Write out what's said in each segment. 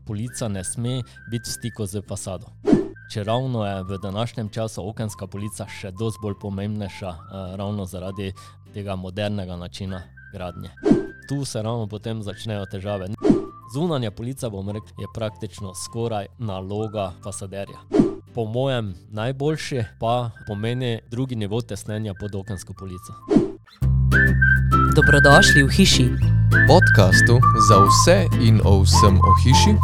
polica ne sme biti v stiku z fasado. Čeravno je v današnjem času okenska polica še dosti bolj pomembnejša, ravno zaradi tega modernega načina gradnje. Tu se ravno potem začnejo težave. Zunanja polica, bom rekel, je praktično skoraj naloga fasaderja. Po mojem najboljši pa pomeni drugi nivo tesnenja pod okensko polico. Dobrodošli v hiši. Podcastu za vse in o vsem o hiši.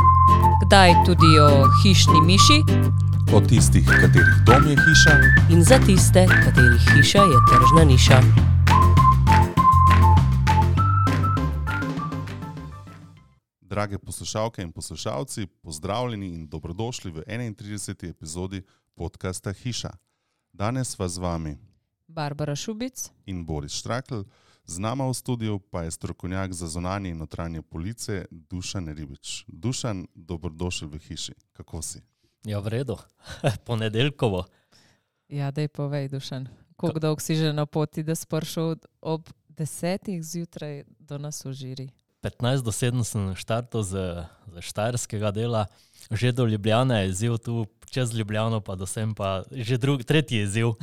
Kdaj tudi o hišni miši. O tistih, katerih dom je hiša. In za tiste, katerih hiša je tržna niša. Drage poslušalke in poslušalci, pozdravljeni in dobrodošli v 31. epizodi podcasta Hiša. Danes vas z vami Barbara Šubic in Boris Štrakl, z nama v studiu pa je strokovnjak za zunanje in notranje police Dušan Ribič. Dušan, dobrodošli v hiši. Kako si? Ja, v redu. Ponedeljkovo. Ja, daj povej, Dušan. Koliko dolgo si že na poti, da si prišel ob 10 zjutraj do nas v Žiri? 15 do 7 sem štartal z štajerskega dela. Že do Ljubljane je izziv, tu čez Ljubljano pa do sem pa že tretji izziv.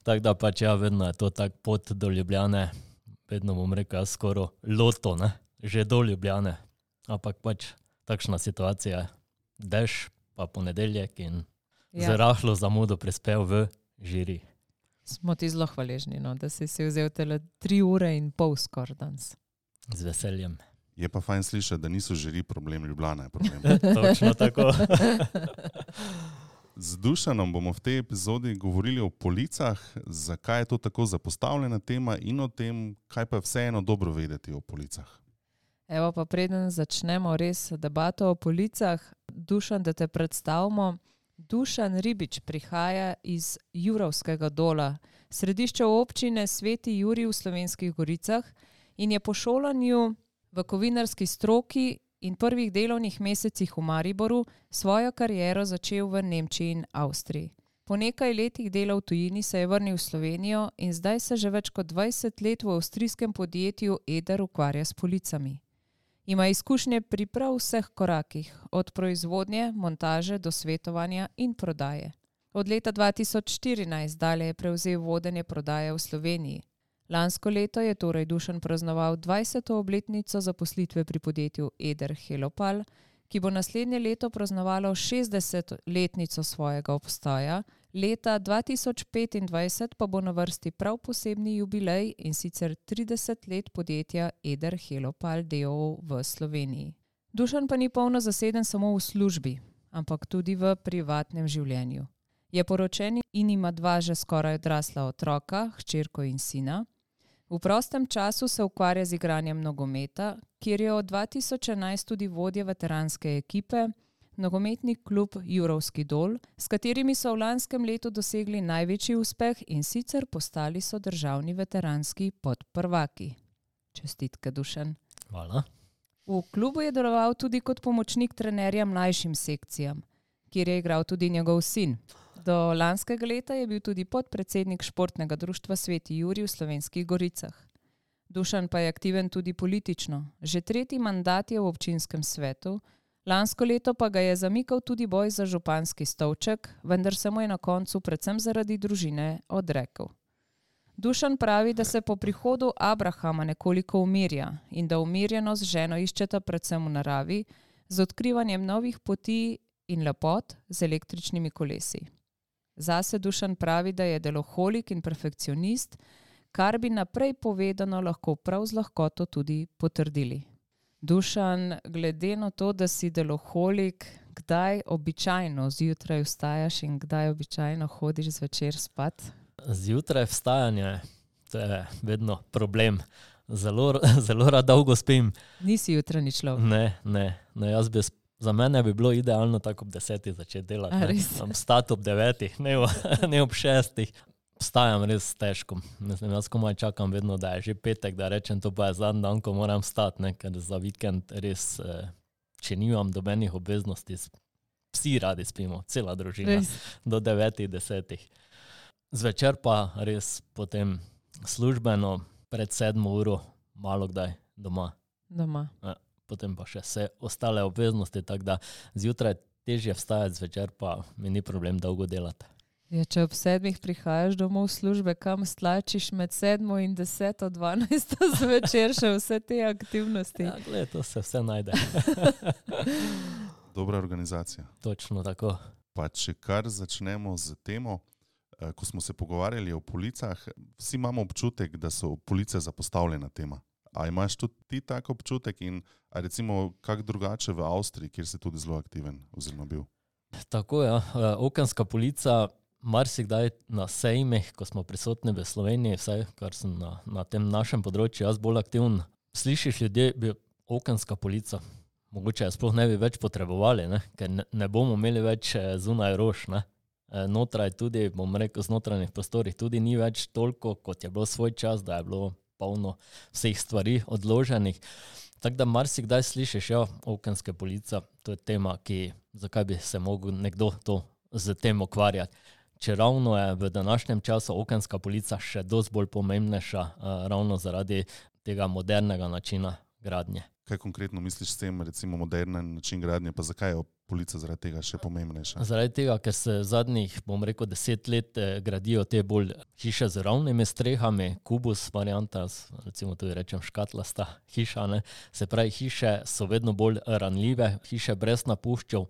Tako da pač ja, vedno je to tak pot do Ljubljane. Vedno bom rekel, skoro loto, ne? Že do Ljubljane. Ampak pač takšna situacija je. Dež pa ponedeljek in z rahlo zamudo prispel v Žiri. Smo ti zelo hvaležni, no, da si vzel tele 3 ure in pol skoraj danes. Z veseljem. Je pa fajn slišati, da niso Žiri problem, Ljubljana je problem. Točno tako. Z Dušanom bomo v tej epizodi govorili o policah, zakaj je to tako zapostavljena tema in o tem, kaj pa vseeno dobro vedeti o policah. Evo pa preden začnemo res debato o policah, Dušan, da te predstavimo. Dušan Ribič prihaja iz Jurovskega Dola, središče občine Sveti Jurij v Slovenskih Goricah, in je po šolanju v kovinarski stroki in prvih delovnih mesecih v Mariboru svojo kariero začel v Nemčiji in Avstriji. Po nekaj letih dela v tujini se je vrnil v Slovenijo in zdaj se že več kot 20 let v avstrijskem podjetju Eder ukvarja s policami. Ima izkušnje pri prav vseh korakih, od proizvodnje, montaže do svetovanja in prodaje. Od leta 2014 dalje je prevzel vodenje prodaje v Sloveniji. Lansko leto je torej Dušan praznoval 20. obletnico zaposlitve pri podjetju Eder Helopal, ki bo naslednje leto praznovalo 60-letnico svojega obstoja, leta 2025 pa bo na vrsti prav posebni jubilej, in sicer 30 let podjetja Eder Helopal d.o.o. v Sloveniji. Dušan pa ni polno zaseden samo v službi, ampak tudi v privatnem življenju. Je poročen in ima 2 že skoraj odrasla otroka, hčerko in sina. V prostem času se ukvarja z igranjem nogometa, kjer je od 2011 tudi vodja veteranske ekipe, nogometni klub Jurovski Dol, s katerimi so v lanskem letu dosegli največji uspeh in sicer postali so državni veteranski podprvaki. Čestitke, Dušan. Hvala. V klubu je deloval tudi kot pomočnik trenerja mlajšim sekcijam, kjer je igral tudi njegov sin. Do lanskega leta je bil tudi podpredsednik športnega društva Sveti Jurij v Slovenskih Goricah. Dušan pa je aktiven tudi politično. Že 3. mandat je v občinskem svetu, lansko leto pa ga je zamikal tudi boj za županski stolček, vendar se mu je na koncu predvsem zaradi družine odrekel. Dušan pravi, da se po prihodu Abrahama nekoliko umirja in da umirjenost z ženo iščeta predvsem v naravi, z odkrivanjem novih poti in lepot z električnimi kolesi. Zase Dušan pravi, da je deloholik in perfekcionist, kar bi naprej povedano lahko prav z lahkoto tudi potrdili. Dušan, glede na to, da si deloholik, kdaj običajno zjutraj vstajaš in kdaj običajno hodiš zvečer spat? Zjutraj vstajanje, to je vedno problem. Zelo rad dolgo spim. Nisi jutranji človek? Ne, jaz za mene bi bilo idealno tako ob 10 začeti delati. Vstati ob 9, ne ob 6. Vstajam res težko. Mislim, jaz komaj čakam vedno, da je že petek, da rečem, to pa je zadnji dan, ko moram vstati, ne? Ker za vikend res, če nimam dobenih obveznosti, vsi radi spimo, cela družina, do 9, 10. Zvečer pa res potem službeno, pred 7 uro, malo kdaj doma. potem pa še vse ostale obveznosti, tako da zjutraj težje vstajati, zvečer pa mi ni problem dolgo delati. Ja, če ob 7 prihajaš domov v službe, kam stlačiš med 7 in 10, 12 zvečer še vse te aktivnosti? Ja, gled, to se vse najde. Dobra organizacija. Točno tako. Pa če kar začnemo z temo, ko smo se pogovarjali o policah, vsi imamo občutek, da so police zapostavljena tema. A imaš tudi ti tak občutek in recimo kak drugače v Avstriji, kjer si tudi zelo aktiven oziroma bil? Tako ja, okenska polica marsikdaj na sejmih, ko smo prisotni v Sloveniji, vsaj kar sem na tem našem področju jaz bolj aktivn, slišiš ljudje, bi okenska polica, mogoče je sploh ne bi več potrebovali, ne? Ker ne bomo imeli več zunaj rož, ne? Notraj tudi, bom rekel, z notranjih prostorih tudi ni več toliko, kot je bilo svoj čas, da je bilo polno vseh stvari odloženih. Tako da marsikdaj slišiš, ja, okenske polica, to je tema, zakaj bi se mogel nekdo to z tem ukvarjati. Če ravno je v današnjem času okenska polica še dosti bolj pomembnejša, ravno zaradi tega modernega načina gradnje. Kaj konkretno misliš s tem, recimo modernen način gradnje, pa zakaj je polica zaradi tega še pomembnejša? Zaradi tega, ker se zadnjih, bom rekel, 10 let gradijo te bolj hiše z ravnimi strehami, kubus varianta, recimo tudi rečem škatlasta hiša, ne. Se pravi, hiše so vedno bolj ranljive, hiše brez napuščev,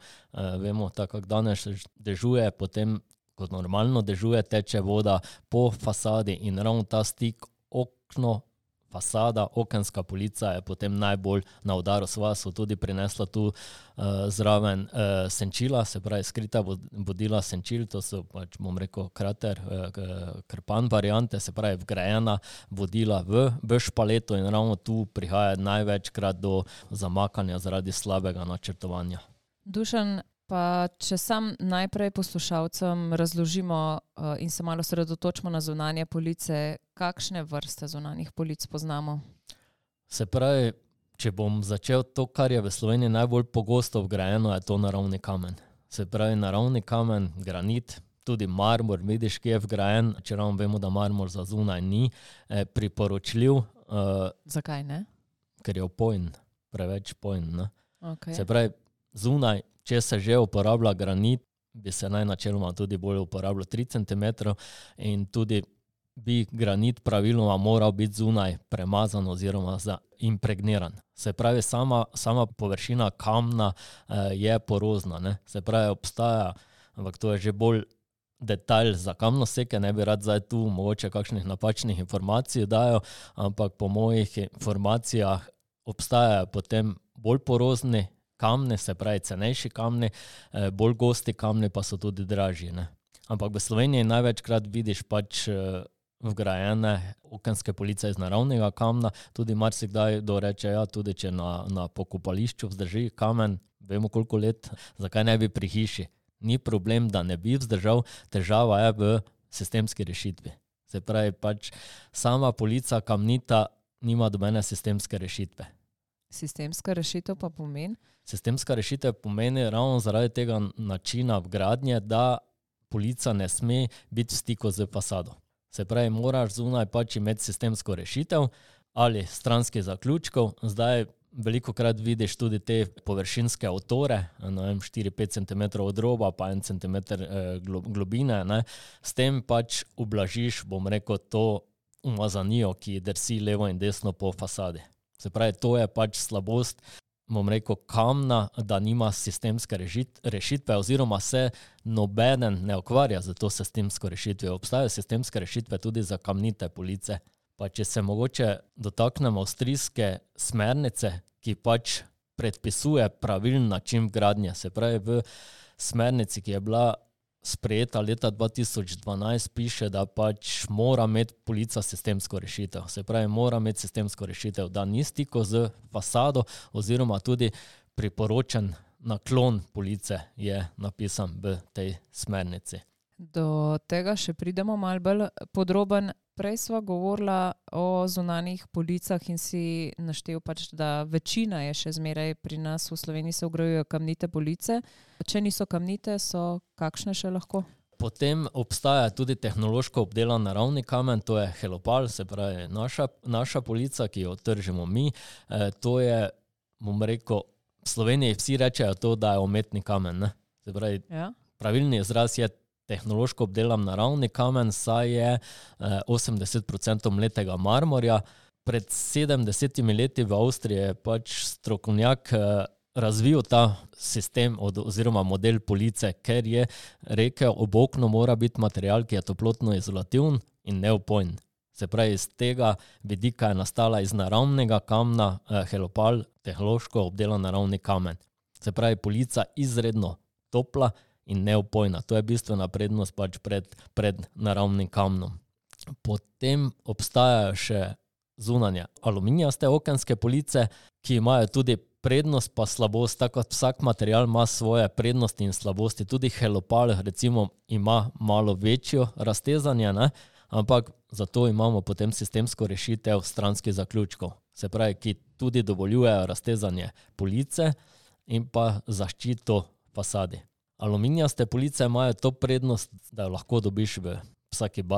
vemo, tako kako danes dežuje, potem kot normalno dežuje, teče voda po fasadi in ravno ta stik okno, fasada, okenska polica je potem najbolj na udaru. Sva so tudi prinesla tu zraven senčila, se pravi skrita vodila senčil, to so pač, bom rekel, krater, krpan variante, se pravi vgrajena vodila v špaleto in ravno tu prihaja največkrat do zamakanja zaradi slabega načrtovanja. Dušan, pa če sam najprej poslušalcem razložimo in se malo sredotočimo na zunanje police, kakšne vrste zunanjih polic poznamo? Se pravi, če bom začel to, kar je v Sloveniji najbolj pogosto vgrajeno, je to naravni kamen. Se pravi, naravni kamen, granit, tudi marmor, vidiš, ki je vgrajen, če ravno vemo, da marmor za zunaj ni priporočljiv. Zakaj ne? Ker je opojn, preveč pojn, ne? Okay. Se pravi, zunaj, če se že uporablja granit, bi se naj načeloma tudi bolj uporabljal 3 cm in tudi bi granit praviloma moral biti zunaj premazan oziroma impregniran. Se pravi, sama površina kamna je porozna, ne? Se pravi, obstaja, ampak to je že bolj detalj za kamnoseke, ne bi rad zdaj tu mogoče kakšnih napačnih informacij dajo, ampak po mojih informacijah obstajajo potem bolj porozni kamni, se pravi cenejši kamni, bolj gosti kamni pa so tudi dražji, ne. Ampak v Sloveniji največkrat vidiš pač vgrajene okenske police iz naravnega kamna, tudi marsikdaj doreče, ja, tudi če na pokopališču vzdrži kamen, vemo koliko let, zakaj ne bi pri hiši. Ni problem, da ne bi vzdržal, težava je v sistemski rešitvi. Se pravi, pač sama polica kamnita nima dobene sistemske rešitve. Sistemska rešitev pa pomeni? Sistemska rešitev pomeni ravno zaradi tega načina vgradnje, da polica ne sme biti v stiku z fasado. Se pravi, moraš zunaj pač imeti sistemsko rešitev ali stranskih zaključkov. Zdaj velikokrat vidiš tudi te površinske otore, 4-5 cm od roba pa 1 cm globine, ne. S tem pač ublažiš, bom rekel, to umazanijo, ki drsi levo in desno po fasadi. Se pravi, to je pač slabost, bom rekel, kamna, da nima sistemske rešitve oziroma se nobeden ne ukvarja za to sistemsko rešitve. Obstajajo sistemske rešitve tudi za kamnite police. Pa če se mogoče dotaknemo avstrijske smernice, ki pač predpisuje pravilen način vgradnje. Se pravi, v smernici, ki je bila sprejeta leta 2012, piše, da pač mora imeti polica sistemsko rešitev. Se pravi, mora imeti sistemsko rešitev, da ni stiko z fasado oziroma tudi priporočen naklon police je napisan v tej smernici. Do tega še pridemo malo bolj podroben. Prej sva govorila o zunanjih policah in si naštel pač, da večina je še zmeraj pri nas v Sloveniji se vgrajujejo kamnite police. Če niso kamnite, so kakšne še lahko? Potem obstaja tudi tehnološko obdelan naravni kamen, to je helopal, se pravi naša polica, ki jo tržimo mi. To je bom rekel, v Sloveniji vsi rečejo to, da je umetni kamen. Ne? Se pravi, pravilni izraz je tehnološko obdelan naravni kamen, saj je 80% mletega marmorja. Pred 70 leti v Avstriji je pač strokovnjak razvil ta sistem oziroma model police, ker je rekel, ob oknu mora biti material, ki je toplotno izolativen in neopojen. Se pravi, iz tega vidika je nastala iz naravnega kamna helopal, tehnološko obdelan naravni kamen. Se pravi, polica izredno topla in neopojna. To je bistvena prednost pač pred naravnim kamnom. Potem obstajajo še zunanje aluminijaste okenske police, ki imajo tudi prednost pa slabost, tako vsak material ima svoje prednosti in slabosti. Tudi helopal recimo ima malo večjo raztezanje, ne? Ampak zato imamo potem sistemsko rešitev stranskih zaključkov. Se pravi, ki tudi dovoljujejo raztezanje police in pa zaščito fasadi. Aluminijaste police imajo to prednost, da jo lahko dobiš v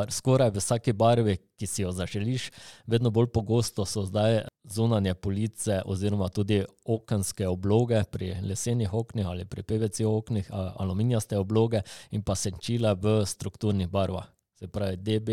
skoraj v vsaki barvi, ki si jo zaželiš. Vedno bolj pogosto so zdaj zunanje police oziroma tudi okenske obloge pri lesenih oknih ali pri PVC oknih, aluminijaste obloge in pa senčila v strukturnih barvah. Se pravi, DB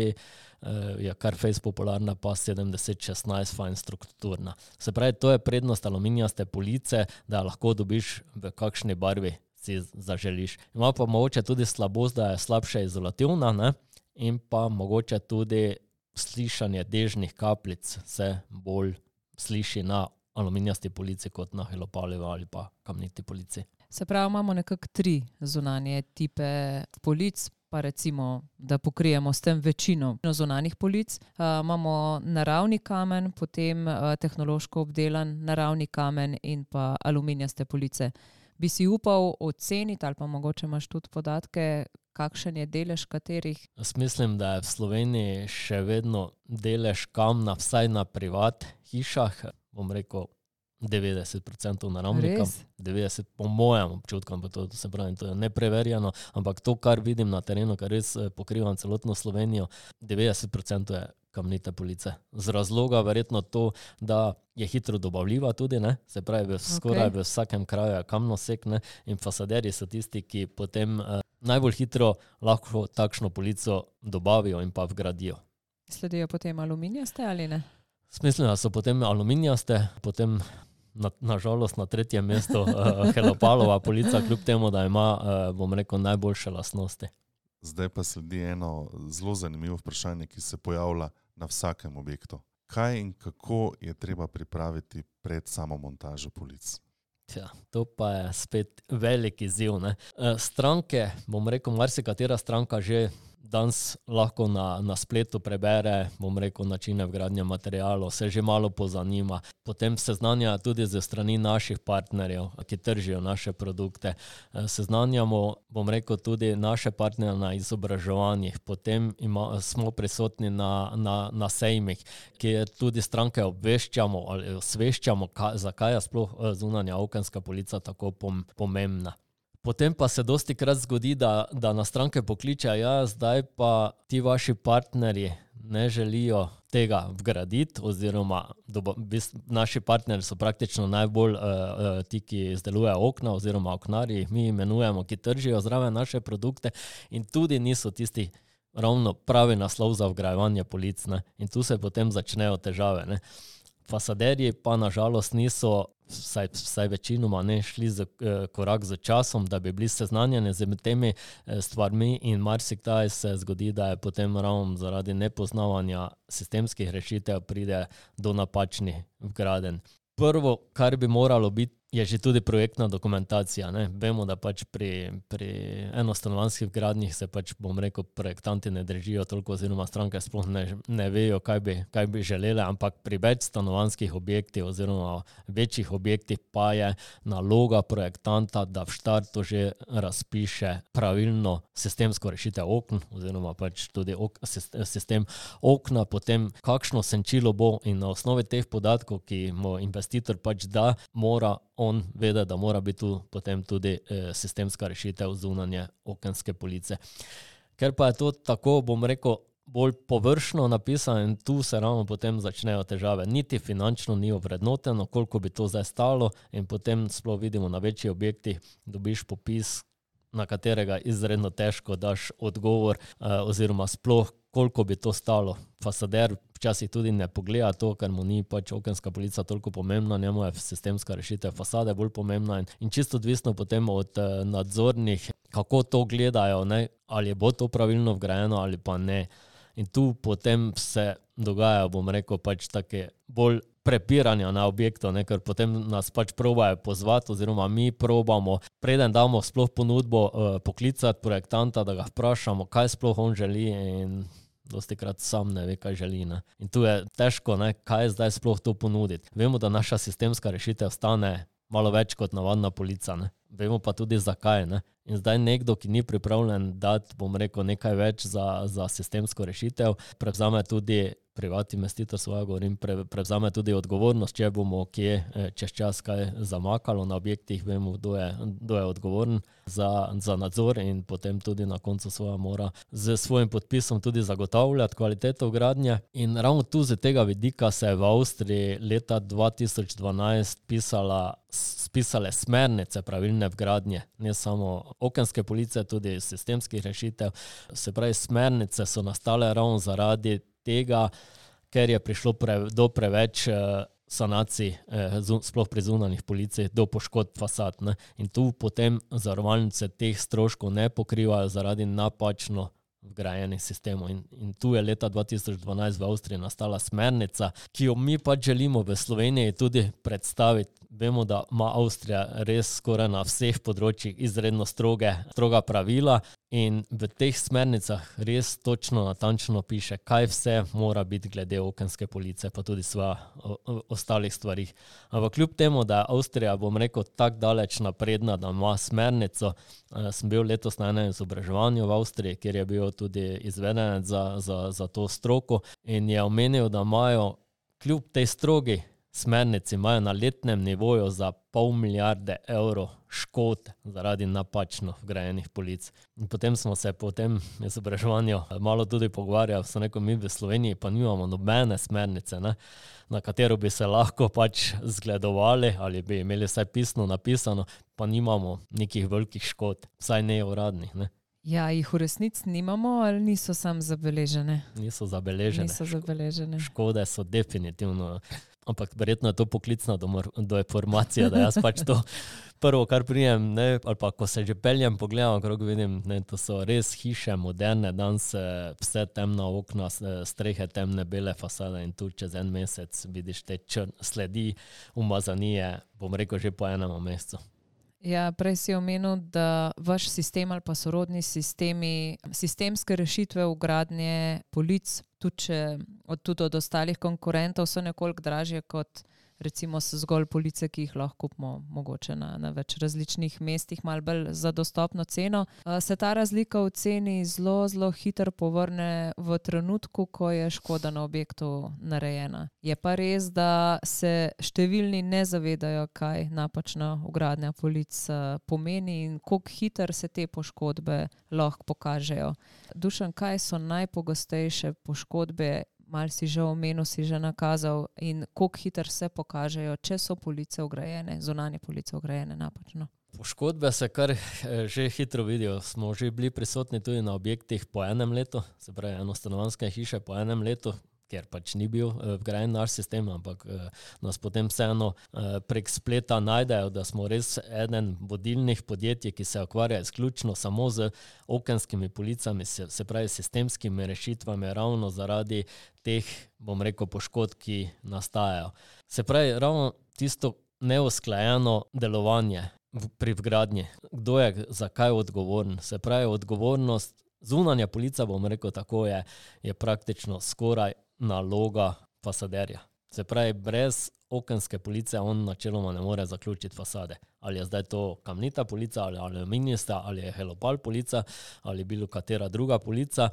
je kar fejst popularna, pa 7016 fajn strukturna. Se pravi, to je prednost aluminijaste police, da lahko dobiš v kakšni barvi si zaželiš. Ima pa mogoče tudi slabost, da je slabše izolativna, ne? In pa mogoče tudi slišanje dežnih kapljic se bolj sliši na aluminijasti polici kot na helopalovi ali pa kamniti polici. Se pravi, imamo nekako 3 zunanje tipe polic, pa recimo, da pokrijemo s tem večino zunanjih polic. Imamo naravni kamen, potem tehnološko obdelan naravni kamen in pa aluminijaste police. Bi si upal oceniti ali pa mogoče imaš tudi podatke, kakšen je delež katerih? Jaz mislim, da je v Sloveniji še vedno delež kamna, vsaj na privat hišah, bom rekel 90% naravnika. 90% po mojem občutku, to se pravi, to je nepreverjeno, ampak to, kar vidim na terenu, kar res pokrivam celotno Slovenijo, 90% je kamnite police. Z razloga verjetno to, da je hitro dobavljiva tudi, ne? Se pravi, skoraj v vsakem kraju je kamnosek, ne? In fasaderji so tisti, ki potem najbolj hitro lahko takšno polico dobavijo in pa vgradijo. Sledijo potem aluminijaste ali ne? Mislim, da so potem aluminijaste, potem nažalost na 3. mestu helopalova polica, kljub temu, da ima, bom rekel, najboljše lastnosti. Zdaj pa sledi eno zelo zanimivo vprašanje, ki se pojavlja na vsakem objektu. Kaj in kako je treba pripraviti pred samo montažo polic? Ja, to pa je spet velik izziv, ne. Stranke, bom rekel, marsikatera stranka že danes lahko na spletu prebere, bom rekel, načine vgradnje materialov, se že malo pozanima. Potem seznanja tudi ze strani naših partnerjev, ki tržijo naše produkte. Seznanjamo, bom rekel, tudi naše partnerje na izobraževanjih. Potem smo prisotni na sejmih, kjer tudi stranke obveščamo ali osveščamo, zakaj je sploh zunanja okenska polica tako pomembna. Potem pa se dostikrat zgodi, da na stranke pokliče, ja, zdaj pa ti vaši partnerji ne želijo tega vgraditi, oziroma naši partnerji so praktično najbolj ti, ki izdelujejo okna oziroma oknarji, mi imenujemo, ki tržijo zraven naše produkte in tudi niso tisti ravno pravi naslov za vgrajevanje polic, ne. In tu se potem začnejo težave, ne. Fasaderji pa nažalost niso, vsaj večinoma ne, šli korak z časom, da bi bili seznanjeni z temi stvarmi in marsikdaj se zgodi, da je potem ravno zaradi nepoznavanja sistemskih rešitev pride do napačnih vgradenj. Prvo, kar bi moralo biti, je že tudi projektna dokumentacija, ne. Vemo, da pač pri enostanovanjskih gradnjih se pač, bom rekel, projektanti ne držijo toliko oziroma stranke sploh ne vejo, kaj bi želele, ampak pri več stanovanjskih objektih oziroma večjih objektih pa je naloga projektanta, da v štartu že razpiše pravilno sistemsko rešitev okn oziroma pač tudi sistem okna, potem kakšno senčilo bo in na osnovi teh podatkov, ki mu investitor pač da, mora on vede, da mora biti tu potem tudi sistemska rešitev zunanje okenske police. Ker pa je to tako, bom rekel, bolj površno napisan in tu se ravno potem začnejo težave. Niti finančno ni ovrednoteno, koliko bi to zdaj stalo in potem sploh vidimo na večjih objektih, dobiš popis, na katerega izredno težko daš odgovor oziroma sploh koliko bi to stalo. Fasader včasih tudi ne pogleda to, ker mu ni pač okenska polica toliko pomembna, njemu je sistemska rešitev fasade bolj pomembna in čisto odvisno potem od nadzornih, kako to gledajo, ne, ali bo to pravilno vgrajeno ali pa ne. In tu potem se dogajajo, bom rekel, pač take bolj prepiranja na objektu, ne, ker potem nas pač probajo pozvati oziroma mi probamo, preden damo sploh ponudbo, poklicati projektanta, da ga vprašamo, kaj sploh on želi in dostikrat sam ne ve, kaj želi. Ne. In tu je težko, ne, kaj zdaj sploh to ponuditi. Vemo, da naša sistemska rešitev stane malo več kot navadna polica, ne. Vemo pa tudi zakaj. Ne. In zdaj nekdo, ki ni pripravljen dati, bom rekel, nekaj več za sistemsko rešitev, prevzame tudi privat investitor svoja, govorim, prevzame tudi odgovornost, če bomo kje čez čas kaj zamakalo na objektih, vemo, kdo je odgovoren za nadzor in potem tudi na koncu svoja mora z svojim podpisom tudi zagotavljati kvaliteto gradnje. In ravno tu z tega vidika se je v Avstriji leta 2012 spisale smernice pravilne vgradnje, ne samo okenske police, tudi sistemskih rešitev. Se pravi, smernice so nastale ravno zaradi tega, ker je prišlo do preveč sanacij, sploh pri zunanjih policij, do poškodb fasad. Ne. In tu potem zavarovalnice teh stroškov ne pokrivajo zaradi napačno vgrajenih sistemov. In tu je leta 2012 v Avstriji nastala smernica, ki jo mi pač želimo v Sloveniji tudi predstaviti. Vemo, da ima Avstrija res skoraj na vseh področjih izredno stroga pravila in v teh smernicah res točno natančno piše, kaj vse mora biti glede okenske police, pa tudi ostalih stvarih. Ampak kljub temu, da je Avstrija, bom rekel, tako daleč napredna, da ima smernico, sem bil letos na enem izobraževanju v Avstriji, kjer je bil tudi izvedenec za to stroko in je omenil, da imajo kljub tej strogi smernici imajo na letnem nivoju za 500 milijarde evrov škod zaradi napačno vgrajenih polic. In potem smo se po tem izobraževanju malo tudi pogovarjali, so rekel, mi v Sloveniji pa nimamo nobene smernice, ne, na katero bi se lahko pač zgledovali ali bi imeli vsaj pisno napisano, pa nimamo nekih velikih škod, vsaj ne uradnih. Ne. Ja, jih v resnici nimamo ali niso sam zabeležene? Niso zabeležene. Škode so definitivno, ampak verjetno je to poklicna deformacija, da jaz pač to prvo, kar prijem, ne, ali pa ko se že peljem, pogledam okrog, vidim, ne, to so res hiše, moderne, danes vse temna okna, strehe temne, bele fasade in tu čez en mesec vidiš te sledi umazanije, bom rekel, že po enem mesecu. Ja, prej si omenil, da vaš sistem ali pa sorodni sistemi, sistemske rešitve vgradnje polic, tudi od ostalih konkurentov so nekoliko dražje kot recimo zgolj police, ki jih lahko kupimo mogoče na več različnih mestih, malo bolj za dostopno ceno. Se ta razlika v ceni zelo hitro povrne v trenutku, ko je škoda na objektu narejena. Je pa res, da se številni ne zavedajo, kaj napačna vgradnja polic pomeni in koliko hitro se te poškodbe lahko pokažejo. Dušan, kaj so najpogostejše poškodbe? Malo si že omenil, si že nakazal in koliko hitro se pokažejo, če so police vgrajene, zunanje police vgrajene napačno. Poškodbe se kar že hitro vidijo. Smo že bili prisotni tudi na objektih po enem letu, se pravi enostanovanjske hiše po enem letu, ker pač ni bil vgrajen naš sistem, ampak nas potem vseeno prek spleta najdejo, da smo res eden vodilnih podjetij, ki se ukvarja izključno samo z okenskimi policami, se pravi sistemskimi rešitvami, ravno zaradi teh, bom rekel, poškodb, ki nastajajo. Se pravi, ravno tisto neusklajeno delovanje pri vgradnji. Kdo je za kaj odgovoren? Se pravi, odgovornost, zunanja polica, bom rekel tako, je praktično skoraj naloga fasaderja. Se pravi, brez okenske police on načeloma ne more zaključiti fasade. Ali je zdaj to kamnita polica, ali aluminijasta, ali je helopal polica, ali bilo katera druga polica.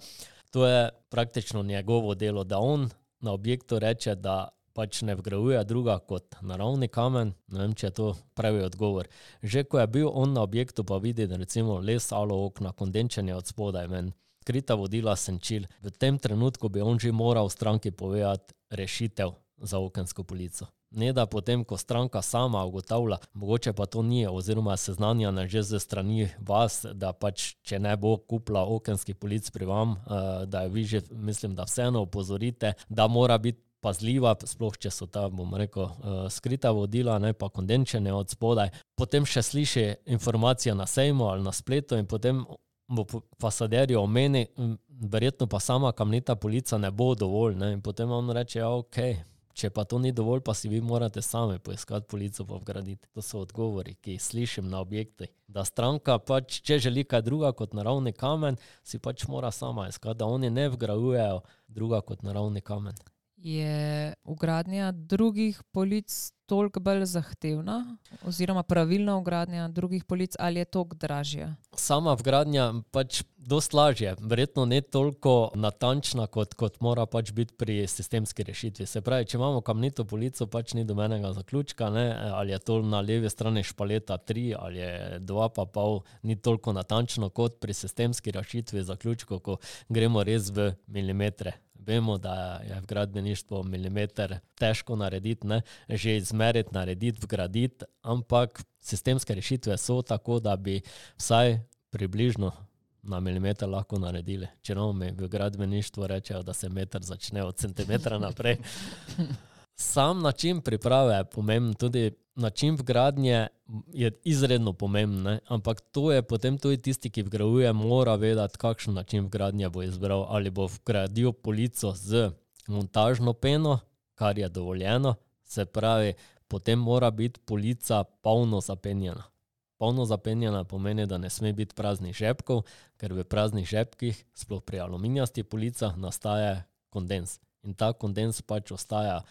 To je praktično njegovo delo, da on na objektu reče, da pač ne vgrajuje druga kot naravni kamen. Ne vem, če je to pravi odgovor. Že ko je bil on na objektu, pa vidi, da recimo les, alo okna, kondenčenje od spodaj ven, skrita vodila senčil. V tem trenutku bi on že moral stranki povedati rešitev za okensko polico. Ne da potem, ko stranka sama ugotavlja, mogoče pa to ni, oziroma seznanjena že ze strani vas, da pač, če ne bo kupila okenskih polic pri vam, da jo vi že, mislim, da vseeno opozorite, da mora biti pazljiva, sploh če so ta, bom rekel, skrita vodila, ne pa kondenčene od spodaj. Potem še sliši informacija na sejmu ali na spletu in potem bo fasaderju omeni, verjetno pa sama kamnita polica ne bo dovolj, ne, in potem on reče, ja, okej. Če pa to ni dovolj, pa si vi morate sami poiskati polico pa vgraditi. To so odgovori, ki jih slišim na objekti. Da stranka pač, če želi kaj druga kot naravni kamen, si pač mora sama iskati, da oni ne vgrajujejo druga kot naravni kamen. Je vgradnja drugih polic toliko bolj zahtevna oziroma pravilna vgradnja drugih polic ali je toliko dražja? Sama vgradnja pač dosti lažje, verjetno ne toliko natančna, kot mora pač biti pri sistemski rešitvi. Se pravi, če imamo kamnito polico, pač ni dobenega zaključka, ne? Ali je to na levi strani špaleta 3 ali je 2,5, ni toliko natančno kot pri sistemski rešitvi zaključkov, ko gremo res v milimetre. Vemo, da je v gradbeništvu milimeter težko narediti, ne? Že izmeriti, narediti, vgraditi, ampak sistemske rešitve so tako, da bi vsaj približno na milimeter lahko naredili. Če mi v gradbeništvu rečejo, da se meter začne od centimetra naprej. Sam način priprave je pomemben, tudi način vgradnje je izredno pomemben, ampak to je potem tudi tisti, ki vgrajuje, mora vedeti, kakšen način vgradnje bo izbral, ali bo vgradil polico z montažno peno, kar je dovoljeno, se pravi, potem mora biti polica polno zapenjena. Polno zapenjena pomeni, da ne sme biti praznih žepkov, ker v praznih žepkih, sploh pri aluminijastih policah, nastaja kondens. In ta kondens pač ostaja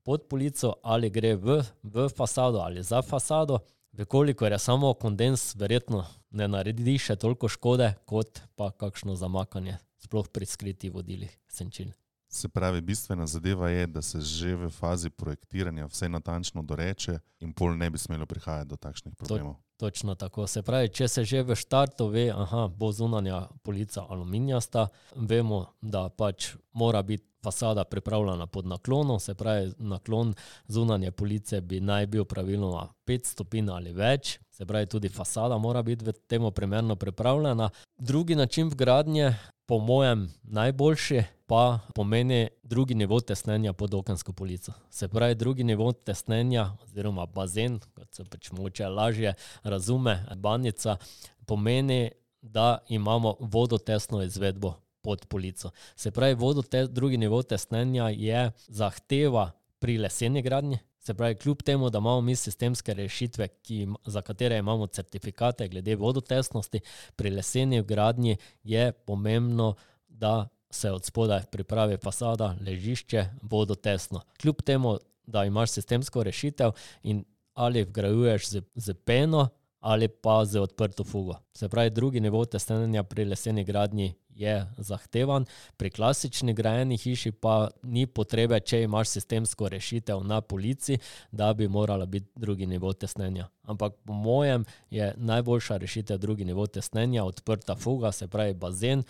pod polico ali gre v fasado ali za fasado. Vekolikor je samo kondens, verjetno ne naredi še toliko škode, kot pa kakšno zamakanje, sploh pri skritih vodilih senčil. Se pravi, bistvena zadeva je, da se že v fazi projektiranja vse natančno doreče in pol ne bi smelo prihajati do takšnih problemov. Točno tako. Se pravi, če se že v štartu ve, bo zunanja polica aluminijasta, vemo, da pač mora biti fasada pripravljena pod naklonom, se pravi, naklon zunanje police bi naj bil praviloma 5 stopinj ali več, se pravi, tudi fasada mora biti v temu primerno pripravljena. Drugi način vgradnje, po mojem najboljši, pa pomeni drugi nivo tesnenja pod okensko polico. Se pravi, drugi nivo tesnenja oziroma bazen, kot se pač mogoče lažje razume, banjica, pomeni, da imamo vodotesno izvedbo pod polico. Se pravi, drugi nivo tesnenja je zahteva pri leseni gradnji. Se pravi, kljub temu, da imamo mi sistemske rešitve, za katere imamo certifikate glede vodotesnosti, pri leseni gradnji je pomembno, da se od spodaj pripravi fasada, ležišče, vodotesno. Kljub temu, da imaš sistemsko rešitev in ali vgrajuješ z peno ali pa z odprto fugo. Se pravi, drugi nivo tesnenja pri leseni gradnji je zahtevan, pri klasični grajeni hiši pa ni potrebe, če imaš sistemsko rešitev na polici, da bi morala biti drugi nivo tesnenja. Ampak po mojem je najboljša rešitev drugi nivo tesnenja, odprta fuga, se pravi bazen.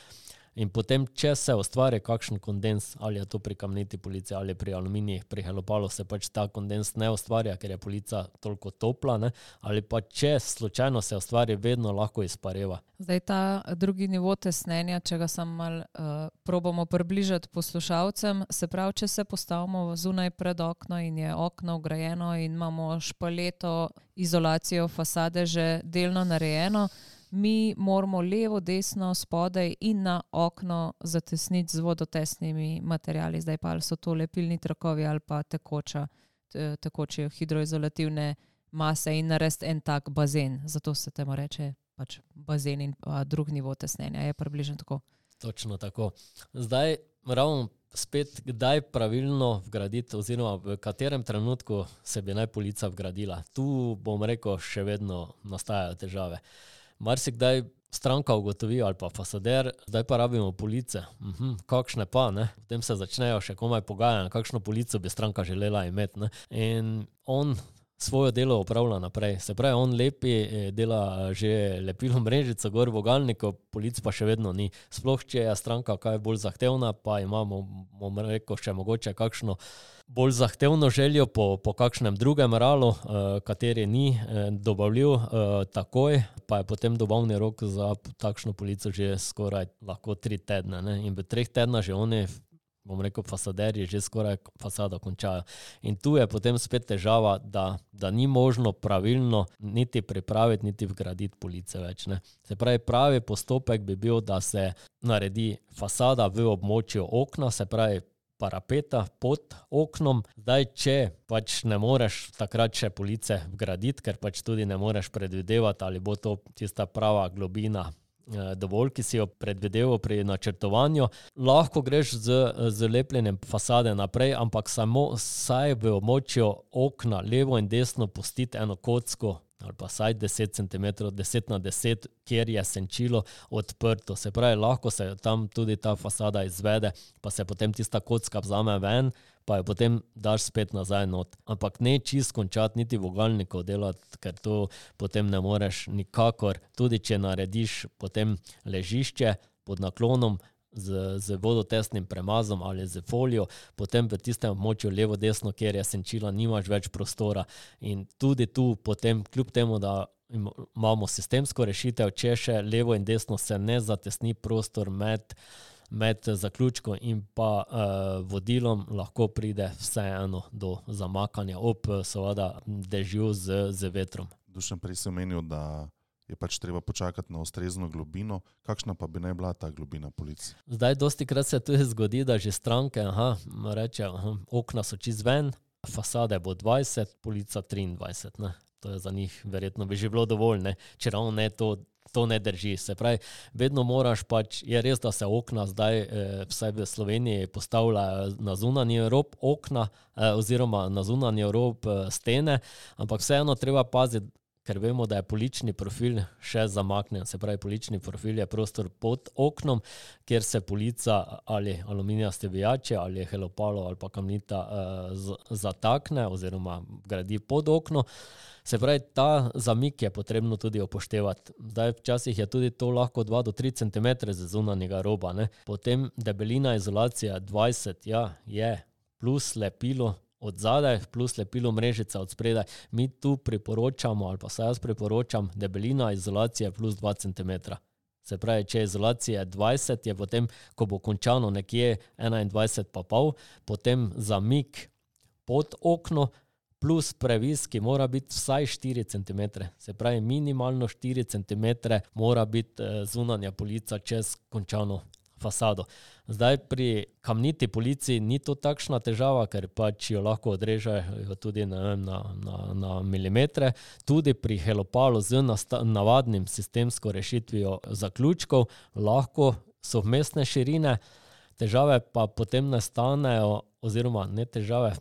In potem, če se ustvari kakšen kondens, ali je to pri kamniti polici ali pri aluminijih, pri helopalu se pač ta kondens ne ustvarja, ker je polica toliko topla, ne? Ali pa če slučajno se ustvari, vedno lahko izpareva. Zdaj ta drugi nivo tesnenja, če ga samo malo probamo približati poslušalcem, se pravi, če se postavimo zunaj pred okno in je okno vgrajeno in imamo špaleto, izolacijo fasade že delno narejeno, mi moramo levo, desno, spodaj in na okno zatesniti z vodotesnimi materiali. Zdaj pa ali so to lepilni trakovi ali pa tekoče hidroizolativne mase in narediti en tak bazen. Zato se temu reče pač bazen in drug nivo tesnenja. Je približno tako? Točno tako. Zdaj ravno spet, kdaj pravilno vgraditi oziroma v katerem trenutku se bi naj polica vgradila. Tu bom rekel, še vedno nastajajo težave. Marsikdaj stranka ugotovi ali pa fasader, zdaj pa rabimo police. Kakšne pa, ne? Potem se začnejo še komaj pogajanja, kakšno polico bi stranka želela imeti, ne? In on svojo delo opravlja naprej. Se pravi, on lepi, dela že lepilo mrežico gor v vogalniku, polic pa še vedno ni. Sploh, če je stranka kaj bolj zahtevna, pa imamo, bom rekel, še mogoče kakšno bolj zahtevno željo po kakšnem drugem ralu, kateri ni dobavljiv takoj, pa je potem dobavni rok za takšno polico že skoraj lahko 3 tedne. Ne? In v 3 tedna že oni, bom rekel, fasaderji že skoraj fasado končajo. In tu je potem spet težava, da ni možno pravilno niti pripraviti, niti vgraditi police več. Ne. Se pravi, pravi postopek bi bil, da se naredi fasada v območju okna, se pravi parapeta pod oknom. Zdaj, če pač ne moreš takrat še police vgraditi, ker pač tudi ne moreš predvidevati, ali bo to tista prava globina dovolj, ki si jo predvideval pri načrtovanju. Lahko greš z lepljenjem fasade naprej, ampak samo saj v območju okna levo in desno pustiti eno kocko ali pa saj 10 cm, 10x10, kjer je senčilo odprto. Se pravi, lahko se tam tudi ta fasada izvede, pa se potem tista kocka vzame ven, pa jo potem daš spet nazaj not. Ampak ne čist končati, niti vogalnikov delati, ker to potem ne moreš nikakor. Tudi če narediš potem ležišče pod naklonom z vodotesnim premazom ali z folijo, potem v tistem območju levo-desno, kjer je senčila, nimaš več prostora. In tudi tu potem, kljub temu, da imamo sistemsko rešitev, če še levo in desno se ne zatesni prostor med zaključkom in pa vodilom, lahko pride vseeno do zamakanja ob seveda dežju z vetrom. Dušan, prej si omenil, da je pač treba počakati na ustrezno globino. Kakšna pa bi naj bila ta globina police? Zdaj, dostikrat se tudi zgodi, da že stranke reče, okna so čist ven, fasade bo 20, polica 23. Ne? To je za njih verjetno bi že bilo dovolj, ne? Če ravno ne to ne drži. Se pravi, vedno moraš pač, je res, da se okna zdaj vsaj v Sloveniji postavljajo na zunanji rob okna oziroma na zunanji rob stene, ampak vseeno treba paziti, ker vemo, da je polični profil še zamaknen. Se pravi, polični profil je prostor pod oknom, kjer se polica ali aluminijaste vijače ali helopalo ali pa kamnita zatakne oziroma gradi pod okno. Se pravi, ta zamik je potrebno tudi upoštevati. Zdaj, včasih je tudi to lahko 2 do 3 cm z zunanjega roba. Ne? Potem debelina izolacije 20, je plus lepilo od zadaj, plus lepilo mrežica od spredaj. Mi tu priporočamo, ali pa se jaz priporočam, debelina izolacije plus 2 cm. Se pravi, če je izolacija 20, je potem, ko bo končano nekje 21,5, potem zamik pod okno plus previs, ki mora biti vsaj 4 cm. Se pravi, minimalno 4 cm mora biti zunanja polica čez končano fasado. Zdaj, pri kamniti polici ni to takšna težava, ker pač jo lahko odrežejo tudi na milimetre. Tudi pri helopalu z navadnim sistemsko rešitvijo zaključkov lahko so vmesne širine. Težave pa potem nastanejo, oziroma ne težave,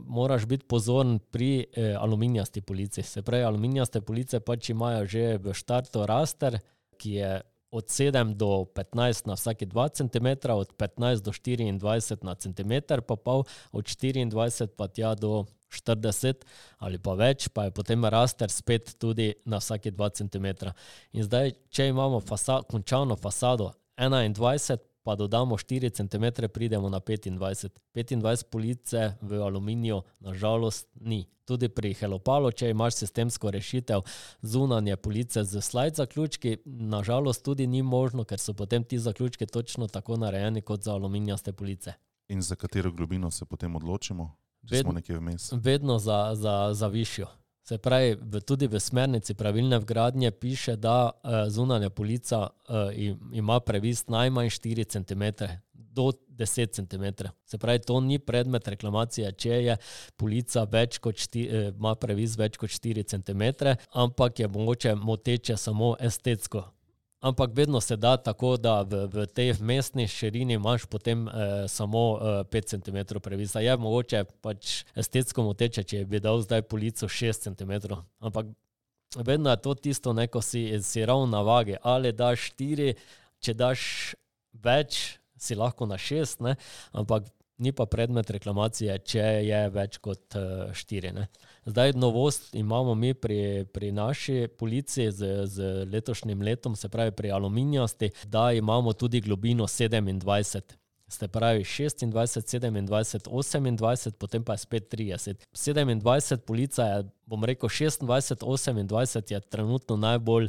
moraš biti pozoren pri aluminijasti polici. Se pravi, aluminijaste police pač imajo že v štartu raster, ki je od 7 do 15 na vsaki 2 cm, od 15 do 24 na centimeter pa pol, od 24 pa tja do 40 ali pa več, pa je potem raster spet tudi na vsaki 2 cm. In zdaj, če imamo končano fasado 21, pa dodamo 4 cm, pridemo na 25. 25 police v aluminiju nažalost ni. Tudi pri helopalu, če imaš sistemsko rešitev zunanje police z slide zaključki, nažalost tudi ni možno, ker so potem ti zaključki točno tako narejeni kot za aluminijaste police. In za katero globino se potem odločimo, če smo nekje vmes? Vedno za višjo. Se pravi, tudi v smernici pravilne vgradnje piše, da zunanja polica ima previs najmanj 4 cm do 10 cm. Se pravi, to ni predmet reklamacije, če je polica ima previs več kot 4 cm, ampak je mogoče moteče samo estetsko. Ampak vedno se da tako, da v tej vmesni širini imaš potem samo 5 cm previsa. Je mogoče pač estetsko moteče, če bi dal zdaj polico 6 cm. Ampak vedno je to tisto, neko si ravno na vagi. Ali daš 4, če daš več, si lahko na 6, ne? Ampak ni pa predmet reklamacije, če je več kot 4. Ne. Zdaj novost imamo mi pri naši policiji z letošnjim letom, se pravi pri aluminijasti, da imamo tudi globino 27. Se pravi 26, 27, 28, potem pa je spet 30. 27 polica je, bom rekel, 26, 28 je trenutno najbolj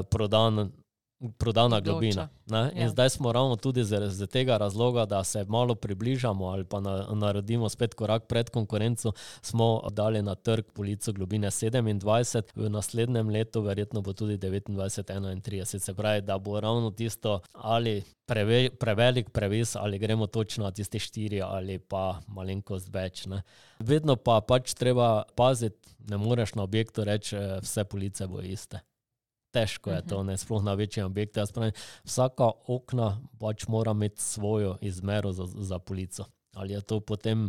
prodana globina. Ne? In zdaj smo ravno tudi z tega razloga, da se malo približamo ali pa naredimo spet korak pred konkurenco, smo dali na trg polico globine 27, v naslednjem letu verjetno bo tudi 29, 31. Se pravi, da bo ravno tisto ali prevelik previs ali gremo točno na tisti 4 ali pa malenkost več. Ne? Vedno pa pač treba paziti, ne moreš na objektu reči, vse police bo iste. Težko je to, ne, sploh na večjem objektu. Jaz pravim, vsaka okna pač mora imeti svojo izmero za polico. Ali je to potem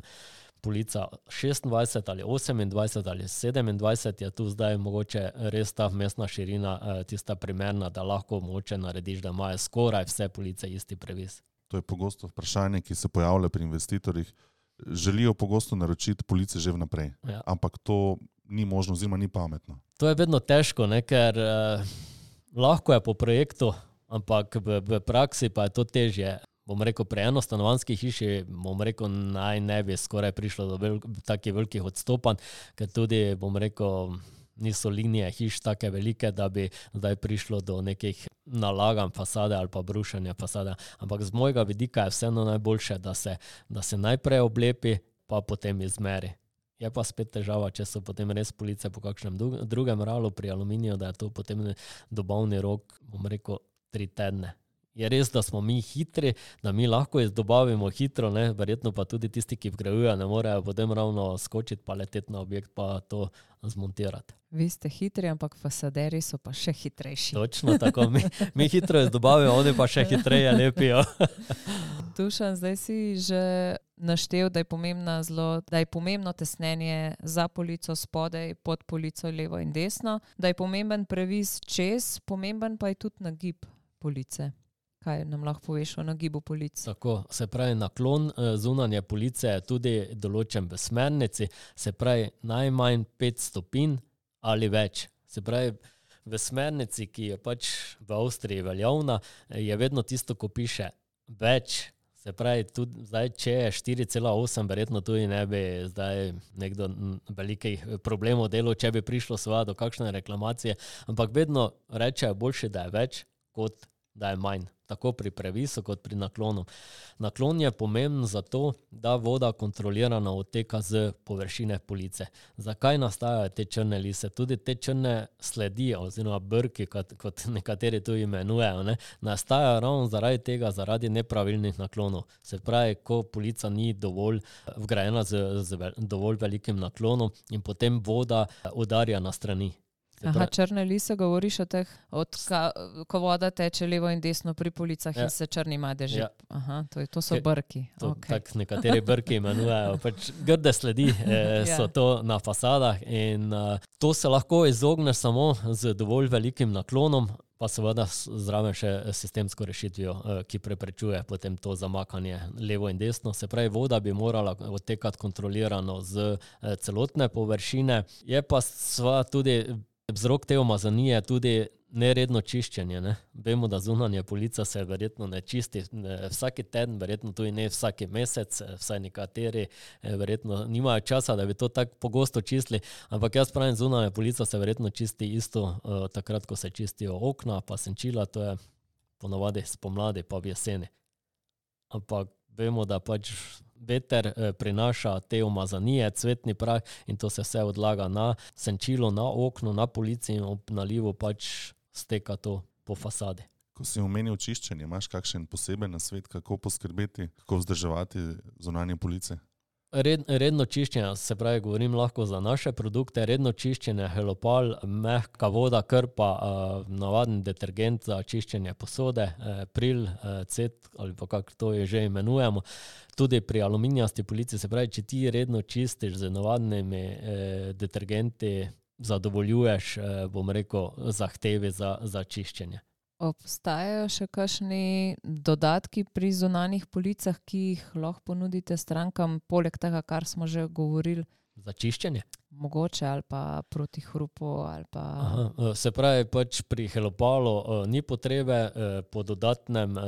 polica 26 ali 28 ali 27, je tu zdaj mogoče res ta vmesna širina tista primerna, da lahko mogoče narediš, da imajo skoraj vse police isti previs. To je pogosto vprašanje, ki se pojavlja pri investitorjih. Želijo pogosto naročiti police že vnaprej, ampak to ni možno oziroma ni pametno. To je vedno težko, ne, ker lahko je po projektu, ampak v praksi pa je to težje. Bom rekel, pri enostanovanjski hiši, bom rekel, naj ne bi skoraj prišlo do takih velikih odstopanj, ker tudi, bom rekel, niso linije hiš take velike, da bi zdaj prišlo do nekih nalaganj fasade ali pa brušenja fasade. Ampak z mojega vidika je vseeno najboljše, da se najprej oblepi, pa potem izmeri. Je pa spet težava, če so potem res police po kakšnem drugem ralu pri aluminiju, da je to potem dobavni rok, bom rekel, 3 tedne. Je res, da smo mi hitri, da mi lahko izdobavimo hitro, ne? Verjetno pa tudi tisti, ki vgrajujejo, ne morejo potem ravno skočiti pa leteti na objekt pa to zmontirati. Vi ste hitri, ampak fasaderi so pa še hitrejši. Točno tako, mi hitro izdobavimo, oni pa še hitreje lepijo. Dušan, zdaj si že naštel, da je pomembno tesnenje za polico spodaj, pod polico levo in desno, da je pomemben previs čez, pomemben pa je tudi nagib police. Kaj nam lahko poveš o nagibu polic? Tako, se pravi, naklon zunanje police je tudi določen v smernici, se pravi najmanj 5 stopinj ali več. Se pravi, v smernici, ki je pač v Avstriji veljavna, je vedno tisto, ko piše več. Se pravi, tudi zdaj, če je 4,8, verjetno tudi ne bi zdaj nekdo velikih problemov delal, če bi prišlo seveda do kakšne reklamacije, ampak vedno rečejo boljše, da je več, kot da je manj. Tako pri previsu, kot pri naklonu. Naklon je pomemben zato, da voda kontrolirano odteka z površine police. Zakaj nastajajo te črne lise? Tudi te črne sledi, oziroma brki, kot nekateri tu imenujejo, ne, nastajajo ravno zaradi tega, zaradi nepravilnih naklonov. Se pravi, ko polica ni dovolj vgrajena z dovolj velikim naklonom in potem voda udarja na strani. Aha, črne lise, govoriš o teh, ko voda teče levo in desno pri policah in se črni madeži. Aha, to so brki. Tako nekateri brki imenujejo. Pač grde sledi so to na fasadah in to se lahko izogneš samo z dovolj velikim naklonom, pa seveda zraven še sistemsko rešitvijo, ki preprečuje potem to zamakanje levo in desno. Se pravi, voda bi morala odtekati kontrolirano z celotne površine. Je pa seveda tudi vzrok te umazanije tudi neredno čiščenje. Ne? Vemo, da zunanja polica se verjetno ne čisti vsaki teden, verjetno tudi ne vsaki mesec, vsaj nekateri verjetno nimajo časa, da bi to tako pogosto čistili, ampak jaz pravim, zunanja polica se verjetno čisti isto takrat, ko se čistijo okna, pa senčila, to je ponavadi spomladi pa v jeseni. Ampak vemo, da pač veter prinaša te umazanije, cvetni prah in to se vse odlaga na senčilo, na okno, na polici in ob nalivu pač steka to po fasadi. Ko si omenil čiščenje, imaš kakšen poseben nasvet, kako poskrbeti, kako vzdrževati zunanje police? Redno čiščenje, se pravi, govorim lahko za naše produkte, redno čiščenje, helopal, mehka voda, krpa, navaden detergent za čiščenje posode, pril, cet ali pa kako to že imenujemo. Tudi pri aluminijasti polici, se pravi, če ti redno čistiš z navadnimi detergenti, zadovoljuješ, bom rekel, zahtevi za čiščenje. Obstajajo še kakšni dodatki pri zunanjih policah, ki jih lahko ponudite strankam, poleg tega, kar smo že govorili? Za čiščenje? Mogoče, ali pa proti hrupu, ali pa... Aha, se pravi, pač pri Helopalu ni potrebe po dodatnem,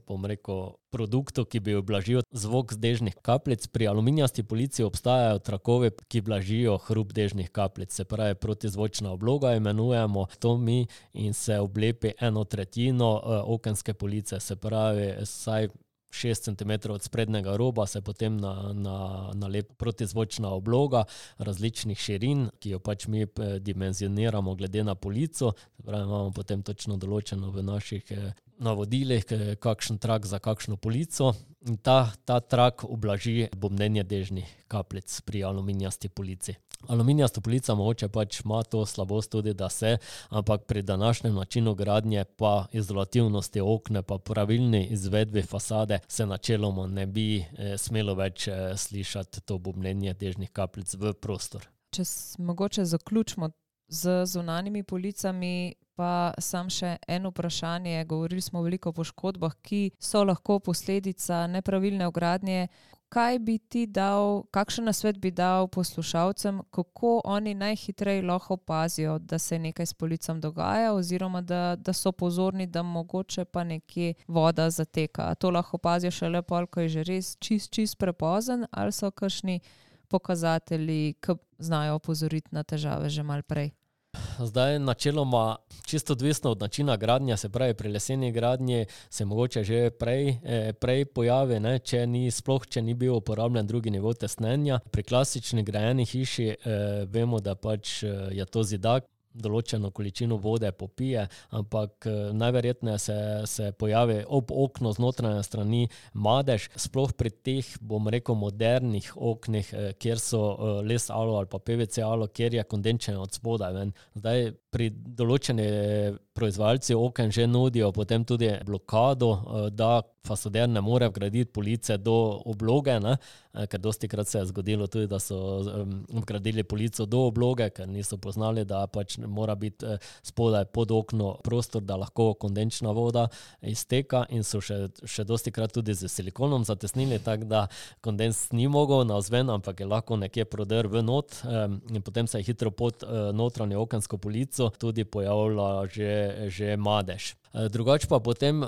bom rekel, produktu, ki bi ublažil zvok z dežnih kapljic. Pri aluminijasti policiji obstajajo trakovi, ki blažijo hrup dežnih kapljic. Se pravi, protizvočna obloga imenujemo to mi in se oblepi 1/3 okenske police. Se pravi, saj 6 cm od sprednjega roba se potem nalepi protizvočna obloga različnih širin, ki jo pač mi dimenzioniramo glede na polico. Se pravi, imamo potem točno določeno v naših navodilih, kakšen trak za kakšno polico. In ta trak ublaži bobnenje dežnih kapljic pri aluminijasti polici. Aluminijasta polica mogoče pač ima to slabost tudi, da se, ampak pri današnjem načinu gradnje pa izolativnosti okna pa pravilni izvedbi fasade se načeloma ne bi smelo več slišati to bobnenje dežnih kapljic v prostor. Če mogoče zaključimo z zunanjimi policami, pa sam še eno vprašanje. Govorili smo veliko o poškodbah, ki so lahko posledica nepravilne vgradnje. Kaj bi ti dal, kakšen nasvet bi dal poslušalcem, kako oni najhitreje lahko opazijo, da se nekaj s policom dogaja, oziroma da so pozorni, da mogoče pa nekje voda zateka? A to lahko opazijo šele pol, ko je že res čist prepozen, ali so kakšni pokazatelji, ki znajo opozoriti na težave že malo prej? Zdaj, načeloma, čisto odvisno od načina gradnje, se pravi, pri leseni gradnji se mogoče že prej pojavi, ne, če ni bil uporabljen drugi nivo tesnenja. Pri klasični grajeni hiši vemo, da pač je to zidak, določeno količino vode popije, ampak najverjetneje se pojavi ob okno z notranje strani madež, sploh pri teh, bom rekel, modernih oknih, kjer so les alo ali pa PVC alo, kjer je kondenčenje od spodaj ven. Zdaj, pri določeni proizvajalci oken že nudijo potem tudi blokado, da fasader ne more vgraditi police do obloge, ne? Ker dostikrat se je zgodilo tudi, da so vgradili polico do obloge, ker niso poznali, da pač mora biti spodaj pod okno prostor, da lahko kondenčna voda izteka, in so še dostikrat tudi z silikonom zatesnili, tako da kondens ni mogel navzven, ampak je lahko nekje prodrl v not, in potem se je hitro pod notranjo okensko polico tudi pojavila že madež. Drugače pa potem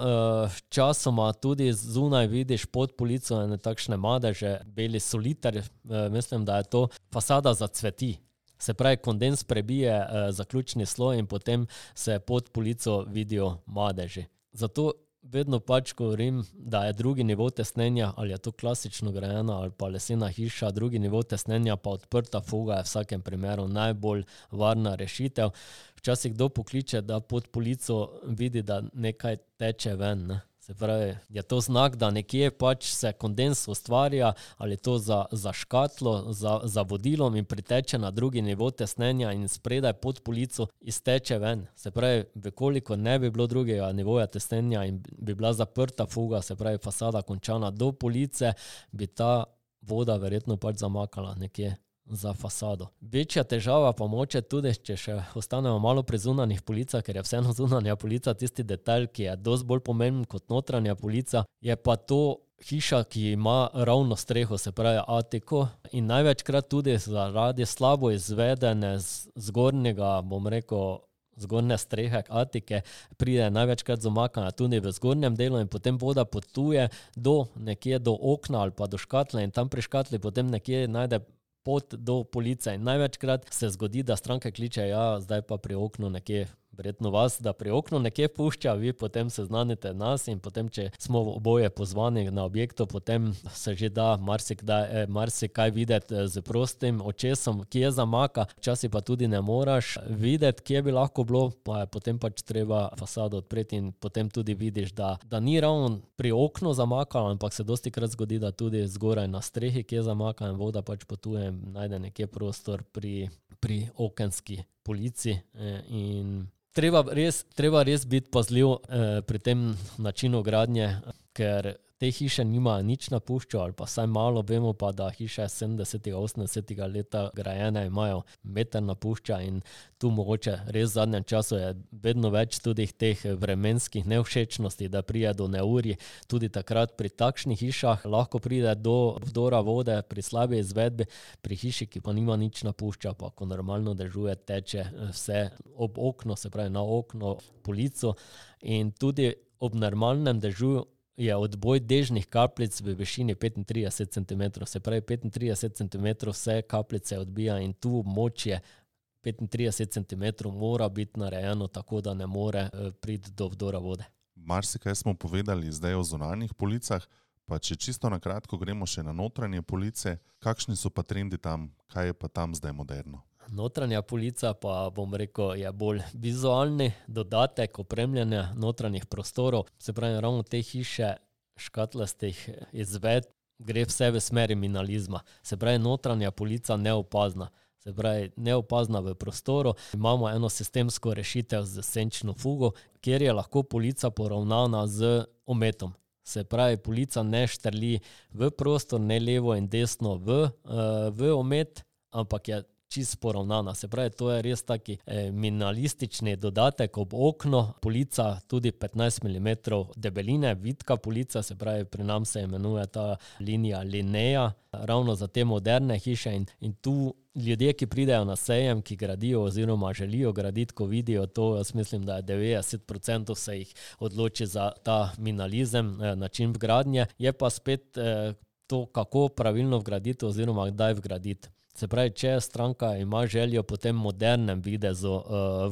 časoma tudi zunaj vidiš pod polico ene takšne madeže, beli soliter, mislim, da je to fasada zacveti. Se pravi, kondens prebije zaključni sloj in potem se pod polico vidijo madeži. Zato vedno pač govorim, da je drugi nivo tesnenja, ali je to klasično grajena ali pa lesena hiša, drugi nivo tesnenja pa odprta fuga je v vsakem primeru najbolj varna rešitev. Včasih kdo pokliče, da pod polico vidi, da nekaj teče ven, ne? Se pravi, je to znak, da nekje pač se kondens ustvarja, ali to za škatlo, za vodilom in priteče na drugi nivo tesnenja in spredaj pod polico izteče ven. Se pravi, vekoliko ne bi bilo drugega nivoja tesnenja in bi bila zaprta fuga, se pravi fasada končana do police, bi ta voda verjetno pač zamakala nekje za fasado. Večja težava pa moče tudi, če še ostanemo malo pri zunanjih policah, ker je vseeno zunanja polica tisti detajl, ki je dosti bolj pomemben kot notranja polica, je pa to hiša, ki ima ravno streho, se pravi atiko, in največkrat tudi zaradi slabo izvedene zgornjega, bom rekel, zgornje strehe atike, pride največkrat zamakanja tudi v zgornjem delu in potem voda potuje nekje do okna ali pa do škatle in tam pri škatli potem nekje najde pot do police. In največkrat se zgodi, da stranke kliče, ja, zdaj pa pri oknu nekje, verjetno vas, da pri oknu nekje pušča, vi potem seznanite nas in potem, če smo oboje pozvani na objektu, potem se že da marsikaj videti z prostim očesom, kje zamaka, včasih pa tudi ne moraš videti, kje bi lahko bilo, pa je potem pač treba fasado odpreti in potem tudi vidiš, da ni ravno pri oknu zamakalo, ampak se dostikrat zgodi, da tudi zgoraj na strehi, kje zamaka in voda pač potuje in najde nekje prostor pri okenski polici in treba res biti pazljiv pri tem načinu gradnje, ker te hiše nimajo nič napuščajo, ali pa vsaj malo vemo pa, da hiše 70. 80. leta grajene imajo meter napušča in tu mogoče res v zadnjem času je vedno več tudi teh vremenskih nevšečnosti, da pride do neurij. Tudi takrat pri takšnih hišah lahko pride do vdora vode pri slabi izvedbi, pri hiši, ki pa nima nič napušča, pa ko normalno dežuje, teče vse ob okno, se pravi na okno, polico in tudi ob normalnem dežuju je odboj dežnih kapljic v višini 35 cm, se pravi 35 cm vse kapljice odbija in tu območje 35 cm mora biti narejeno tako, da ne more priti do vdora vode. Marsikaj smo povedali zdaj o zunanjih policah, pa če čisto na kratko gremo še na notranje police, kakšni so pa trendi tam, kaj je pa tam zdaj moderno? Notranja polica pa, bom rekel, je bolj vizualni dodatek opremljanja notranjih prostorov. Se pravi, ravno te hiše škatlastih izved gre vse v smeri minimalizma. Se pravi, notranja polica neopazna. Se pravi, neopazna v prostoru. Imamo eno sistemsko rešitev z senčno fugo, kjer je lahko polica poravnana z ometom. Se pravi, polica ne štrli v prostor, ne levo in desno v omet, ampak je čisto poravnana. Se pravi, to je res taki minimalistični dodatek ob okno. Polica tudi 15 mm debeline, vitka polica, se pravi, pri nam se imenuje ta linija Linea, ravno za te moderne hiše in tu ljudje, ki pridejo na sejem, ki gradijo oziroma želijo graditi, ko vidijo to, jaz mislim, da je 90% se jih odloči za ta minimalizem, način vgradnje. Je pa spet to, kako pravilno vgraditi oziroma kdaj vgraditi. Se pravi, če stranka ima željo po tem modernem videzu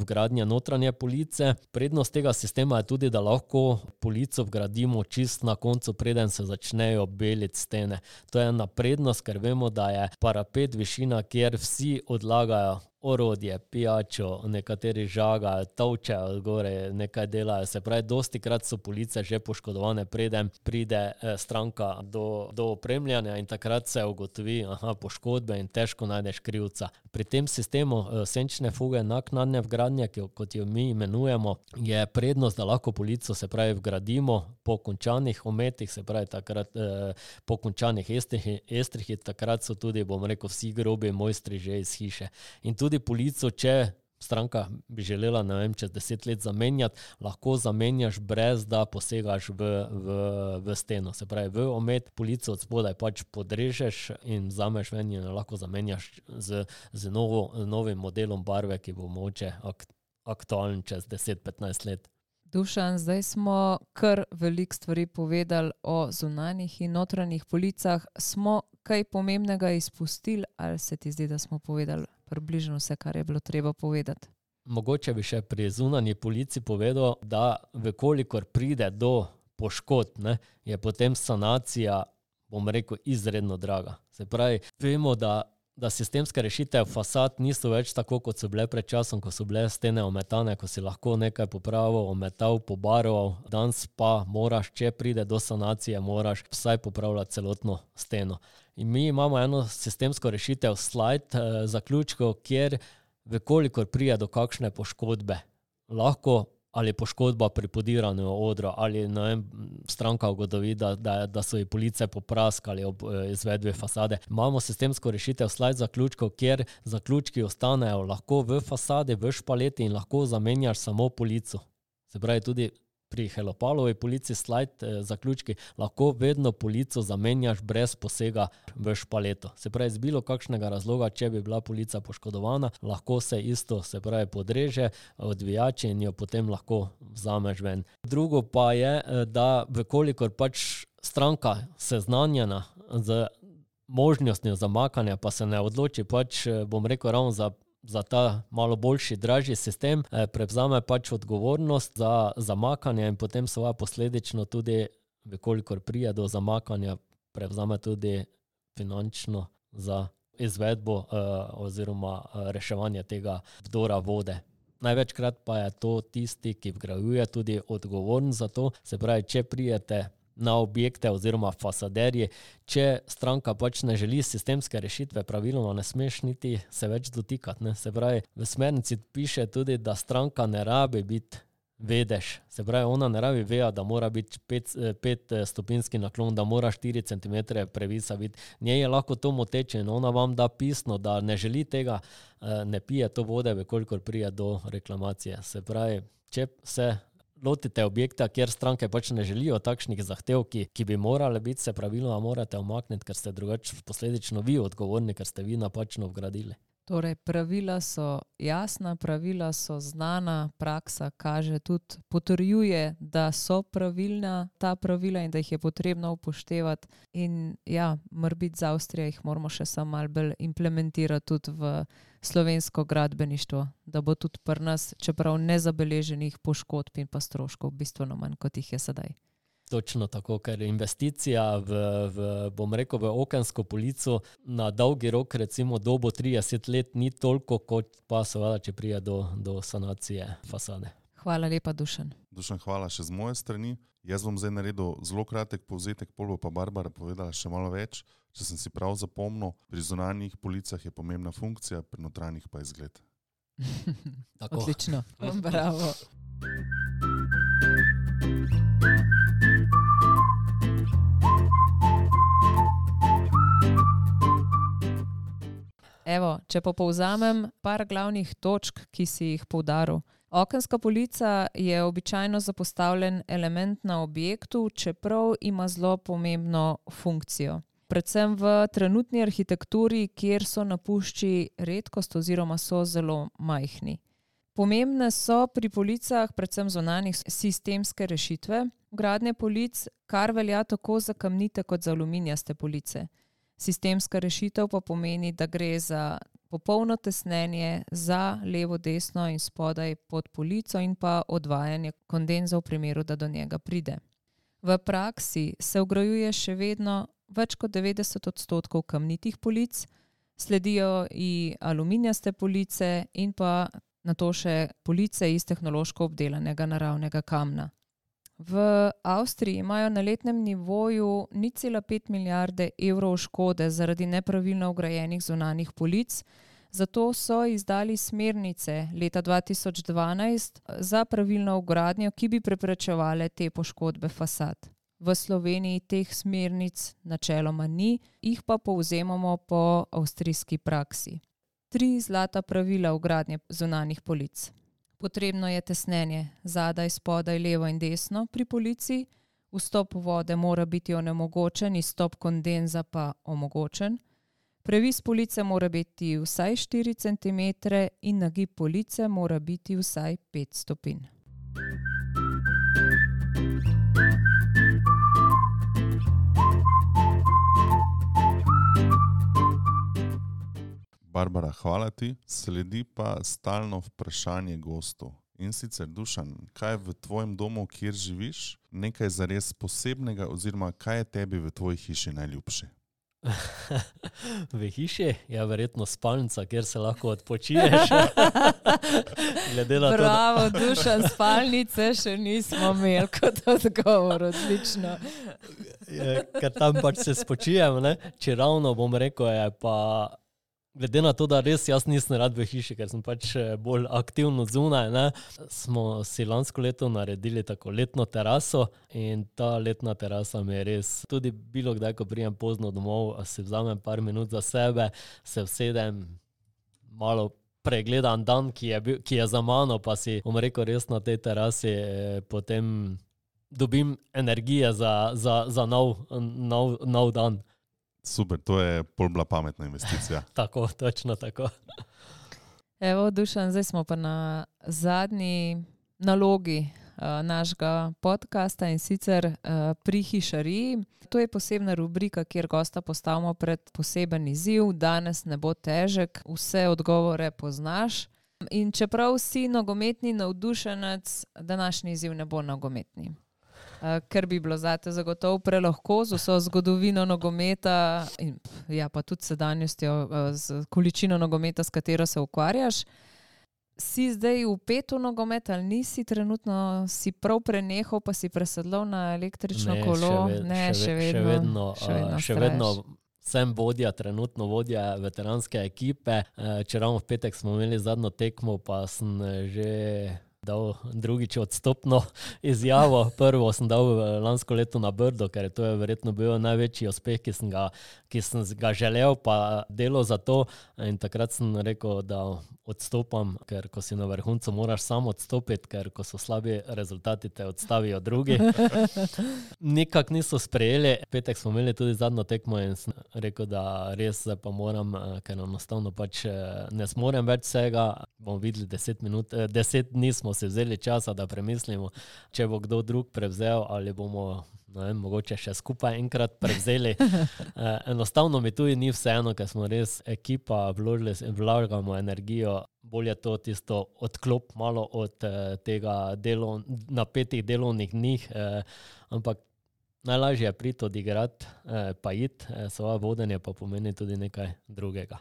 vgradnje notranje police, prednost tega sistema je tudi, da lahko polico vgradimo čist na koncu, preden se začnejo beliti stene. To je ena prednost, ker vemo, da je parapet višina, kjer vsi odlagajo orodje, pijačo, nekateri žagajo, tolčejo gore, nekaj delajo. Se pravi, dostikrat so police že poškodovane, preden pride stranka do opremljanja in takrat se ugotovi poškodbe in težko najdeš krivca. Pri tem sistemu senčne fuge naknadne vgradnje, kot jo mi imenujemo, je prednost, da lahko polico, se pravi, vgradimo po končanih ometih, se pravi, takrat po končanih estrih, takrat so tudi, bom rekel, vsi grobi mojstri že iz hiše. In tudi polico, če stranka bi želela, ne vem, čez 10 let zamenjati, lahko zamenjaš brez da posegaš v steno. Se pravi, v omet polico od spodaj pač podrežeš in vzameš ven in lahko zamenjaš z novim modelom barve, ki bo mogoče aktualen čez 10-15 let. Dušan, zdaj smo kar veliko stvari povedali o zunanjih in notranjih policah. Smo kaj pomembnega izpustili ali se ti zdi, da smo povedali približno vse, kar je bilo treba povedati? Mogoče bi še pri zunanji polici povedal, da vekolikor pride do poškodb, je potem sanacija, bom rekel, izredno draga. Se pravi, vemo, da sistemske rešitev fasad niso več tako, kot so bile pred časom, ko so bile stene ometane, ko si lahko nekaj popravil, ometal, pobarval. Danes pa moraš, če pride do sanacije, moraš vsaj popravljati celotno steno. In mi imamo eno sistemsko rešitev slide zaključkov, kjer vekolikor pride do kakšne poškodbe, lahko ali poškodba pri podiranju odra, ali ne vem, stranka ugotovi, da so ji police popraskali ob izvedbi fasade. Imamo sistemsko rešitev slide zaključkov, kjer zaključki ostanejo lahko v fasadi, v špaleti in lahko zamenjaš samo polico. Se pravi, tudi pri Helopalovi polici slide zaključki lahko vedno polico zamenjaš brez posega v špaleto. Se pravi, z bilo kakšnega razloga, če bi bila polica poškodovana, lahko se isto, se pravi, podreže, odvijači in jo potem lahko vzameš ven. Drugo pa je, da vekolikor pač stranka seznanjena z možnostjo zamakanja, pa se ne odloči pač, bom rekel, ravno za ta malo boljši, dražji sistem, prevzame pač odgovornost za zamakanje in potem svoja posledično tudi, vekolikor prije do zamakanja, prevzame tudi finančno za izvedbo oziroma reševanje tega vdora vode. Največkrat pa je to tisti, ki vgrajuje, tudi odgovoren za to. Se pravi, če prijete na objekte oziroma fasaderji, če stranka pač ne želi sistemske rešitve, praviloma ne smeš niti se več dotikati. Se pravi, v smernici piše tudi, da stranka ne rabi biti vedeš. Se pravi, ona ne rabi veja, da mora biti 5 stopinski naklon, da mora 4 cm previsa biti. Njej je lahko to moteče in ona vam da pisno, da ne želi tega, ne pije to vode, kolikor prije do reklamacije. Se pravi, če se lotite objekta, kjer stranke pač ne želijo takšnih zahtev, ki bi morale biti, se pravilno morate omakniti, ker ste drugače posledično vi odgovorni, ker ste vi napačno vgradili. Torej, pravila so jasna, pravila so znana, praksa kaže tudi, potrjuje, da so pravilna ta pravila in da jih je potrebno upoštevati. In ja, morbiti z Avstrijo jih moramo še samo malo bolj implementirati tudi v slovensko gradbeništvo, da bo tudi pri nas, čeprav nezabeleženih poškodb in pa stroškov bistveno manj, kot jih je sedaj. Točno tako, ker investicija v okensko polico na dolgi rok, recimo dobo 30 let, ni toliko, kot pa seveda, če prije do sanacije fasade. Hvala lepa, Dušan. Dušan, hvala še z moje strani. Jaz bom zdaj naredil zelo kratek povzetek, pol bo pa Barbara povedala še malo več. Če sem si prav zapomnil, pri zunanjih policah je pomembna funkcija, pri notranjih pa izgled. Odlično, bravo. Evo, če pa povzamem par glavnih točk, ki si jih poudaril. Okenska polica je običajno zapostavljen element na objektu, čeprav ima zelo pomembno funkcijo. Predvsem v trenutni arhitekturi, kjer so napušči redkost oziroma so zelo majhni. Pomembne so pri policah predvsem zunanjih sistemske rešitve vgradnje polic, kar velja tako za kamnite kot za aluminijaste police. Sistemska rešitev pa pomeni, da gre za popolno tesnenje za levo, desno in spodaj pod polico in pa odvajanje kondenza v primeru, da do njega pride. V praksi se vgrajuje še vedno več kot 90% kamnitih polic, sledijo i aluminijaste police in pa nato še police iz tehnološko obdelanega naravnega kamna. V Avstriji imajo na letnem nivoju 0,5 milijarde evrov škode zaradi nepravilno vgrajenih zunanjih polic, zato so izdali smernice leta 2012 za pravilno vgradnjo, ki bi preprečevale te poškodbe fasad. V Sloveniji teh smernic načeloma ni, jih pa povzemamo po avstrijski praksi. 3 zlata pravila vgradnje zunanjih polic. Potrebno je tesnenje zadaj, spodaj, levo in desno pri polici, vstop vode mora biti onemogočen, izstop kondenza pa omogočen. Previs police mora biti vsaj 4 cm in nagib police mora biti vsaj 5 stopinj. Barbara, hvala ti. Sledi pa stalno vprašanje gostov. In sicer, Dušan, kaj je v tvojem domu, kjer živiš, nekaj zares posebnega oziroma kaj je tebi v tvoji hiši najljubše? V hiši je verjetno spalnica, kjer se lahko odpočiješ. Bravo, Dušan, spalnice še nismo imeli kot odgovor, odlično. Ker tam pač se spočijem, ne? Če ravno bom rekel, je pa glede na to, da res jaz nisem rad v hiši, ker sem pač bolj aktivno zunaj, ne, smo si lansko leto naredili tako letno teraso in ta letna terasa mi je res, tudi bilo kdaj, ko prijem pozno domov, si vzamem par minut za sebe, se usedem, malo pregledam dan, ki je za mano, pa si, bom rekel, res na tej terasi potem dobim energije za nov dan. Super, to je pol bila pametna investicija. Tako, točno tako. Evo, Dušan, zdaj smo pa na zadnji nalogi našega podcasta in sicer pri hišariji. To je posebna rubrika, kjer gosta postavimo pred poseben izziv. Danes ne bo težek, vse odgovore poznaš. In čeprav si nogometni navdušenec, današnji izziv ne bo nogometni. Ker bi bilo zate zagotovo prelahko z vso zgodovino nogometa in ja, pa tudi sedanjostjo, z količino nogometa, s katero se ukvarjaš. Si zdaj vpet v nogomet ali nisi trenutno, si prav prenehal, pa si presedlal na električno kolo? Še vedno sem vodja, trenutno vodja veteranske ekipe. Če ravno v petek smo imeli zadnjo tekmo, pa sem že dal drugič odstopno izjavo. Prvo sem dal lansko leto na Brdo, ker to je verjetno bil največji uspeh, ki sem ga želel, pa delo za to. In takrat sem rekel, da odstopam, ker ko si na vrhuncu, moraš sam odstopiti, ker ko so slabi rezultati, te odstavijo drugi. Nikak niso sprejeli. Petek smo imeli tudi zadnjo tekmo in sem rekel, da res pa moram, ker enostavno pač ne smorem več vsega. Bomo videli 10 dni smo si vzeli časa, da premislimo, če bo kdo drug prevzel ali bomo mogoče še skupaj enkrat prevzeli. Enostavno mi tudi ni vseeno, ker smo res ekipa, vlagamo energijo, bolje to tisto odklop malo od tega napetih delovnih dni, ampak najlažje je priti odigrati, pa iti, svoje vodenje pa pomeni tudi nekaj drugega.